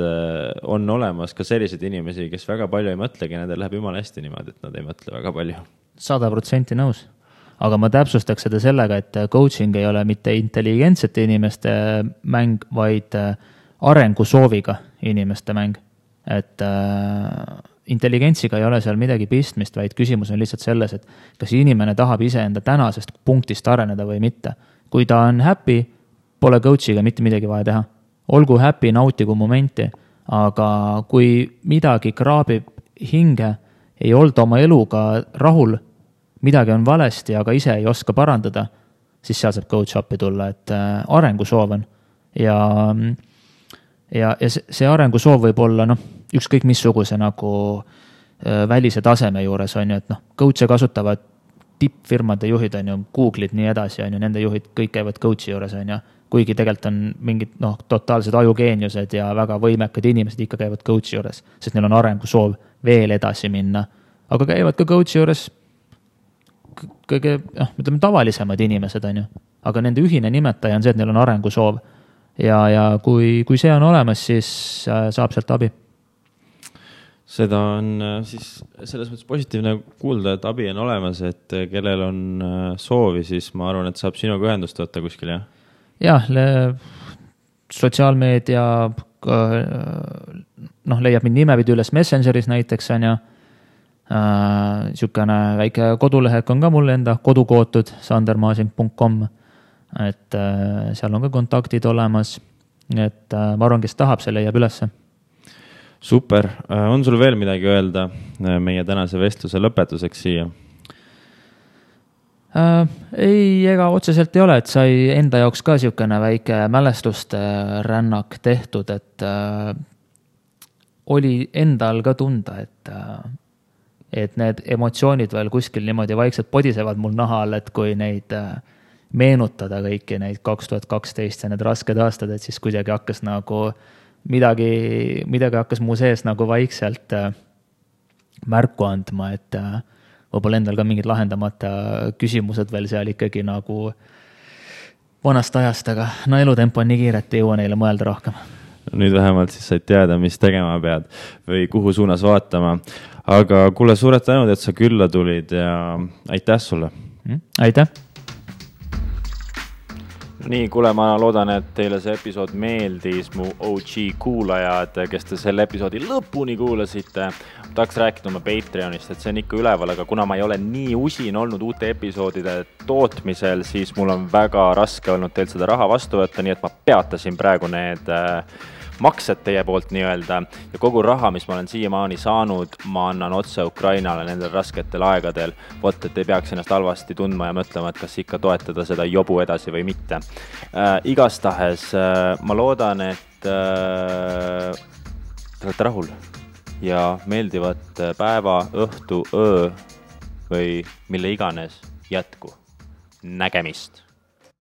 on olemas ka sellised inimesi, kes väga palju ei mõtlegi, nendel läheb jumala hästi niimoodi, et nad ei mõtle väga palju. 100% nõus. Aga ma täpsustaks seda sellega, et coaching ei ole mitte intelligentsete inimeste mäng, vaid arengusooviga inimeste mäng. Et intelligentsiga ei ole seal midagi pistmist, vaid küsimus on lihtsalt selles, et kas inimene tahab ise enda tänasest punktist areneda või mitte. Kui ta on happy, pole coachiga mitte midagi vaja teha. Olgu happy, nautigu momenti, aga kui midagi kraabib hinge, ei olda oma eluga rahul, midagi on valesti, aga ise ei oska parandada, siis seal saab coach appi tulla, et arengusoov on. Ja see arengusoov võib olla ükskõik missuguse nagu välise taseme juures on ju, et noh, coach'e kasutavad tippfirmade juhid on ju, Google'id nii edasi on ju, nende juhid kõik käivad coach'i juures on ju, kuigi tegelikult on mingid totaalsed ajugeeniused ja väga võimekad inimesed ikka käivad coach'i juures, sest neil on arengusoov veel edasi minna, aga käivad ka coach'i juures kõige, ütleme, tavalisemad inimesed on ju, aga nende ühine nimetaja on see, et neil on arengusoov ja kui see on olemas, siis saab sealt abi. Seda on siis selles mõttes positiivne kuulda, et abi on olemas, et kellel on soovi, siis ma arvan, et saab sinuga ühendust võtta kuskil, jah? Jah, sotsiaalmeedia leiab mind nimepidi üles Messengeris näiteks on ju, niisugune väike kodulehek on ka mul enda kodukootud sandermasing.com, et seal on ka kontaktid olemas, et ma arvan, kes tahab, see leiab ülesse. Super, on sul veel midagi öelda meie tänase vestluse lõpetuseks siia? Ei, ega otseselt ei ole, et sai enda jaoks ka niisugune väike mälestuste rännak tehtud, et oli endal ka tunda, et need emotsioonid veel kuskil niimoodi vaikselt podisevad mul nahal, et kui neid meenutada kõiki neid 2012 ja need rasked aastad, et siis kuidagi hakkas nagu midagi hakkas mu sees nagu vaikselt märku andma, et võib-olla endal ka mingid lahendamata küsimused veel seal ikkagi nagu vanast ajast, aga no elutempo on nii kiire, et ei jõua neile mõelda rohkem. Nüüd vähemalt siis said teada, mis tegema pead või kuhu suunas vaatama. Aga kuule, suured tänud, et sa külla tulid ja aitäh sulle! Aitäh! Nii, kuule, ma loodan, et teile see episood meeldis, mu OG kuulajad, kes te selle episoodi lõpuni kuulasite. Tahaks rääkida oma Patreonist, et see on ikka üleval, aga kuna ma ei ole nii usin olnud uute episoodide tootmisel, siis mul on väga raske olnud teilt seda raha vastu võtta, nii et ma peatasin praegu need maksed teie poolt nii-öelda ja kogu raha, mis ma olen siiamaani saanud, ma annan otse Ukrainale nendel rasketel aegadel. Vot, et ei peaks ennast halvasti tundma ja mõtlema, et kas ikka toetada seda jobu edasi või mitte. Igastahes ma loodan, et te olete rahul ja meeldivat päeva, õhtu, öö või mille iganes jätku. Nägemist!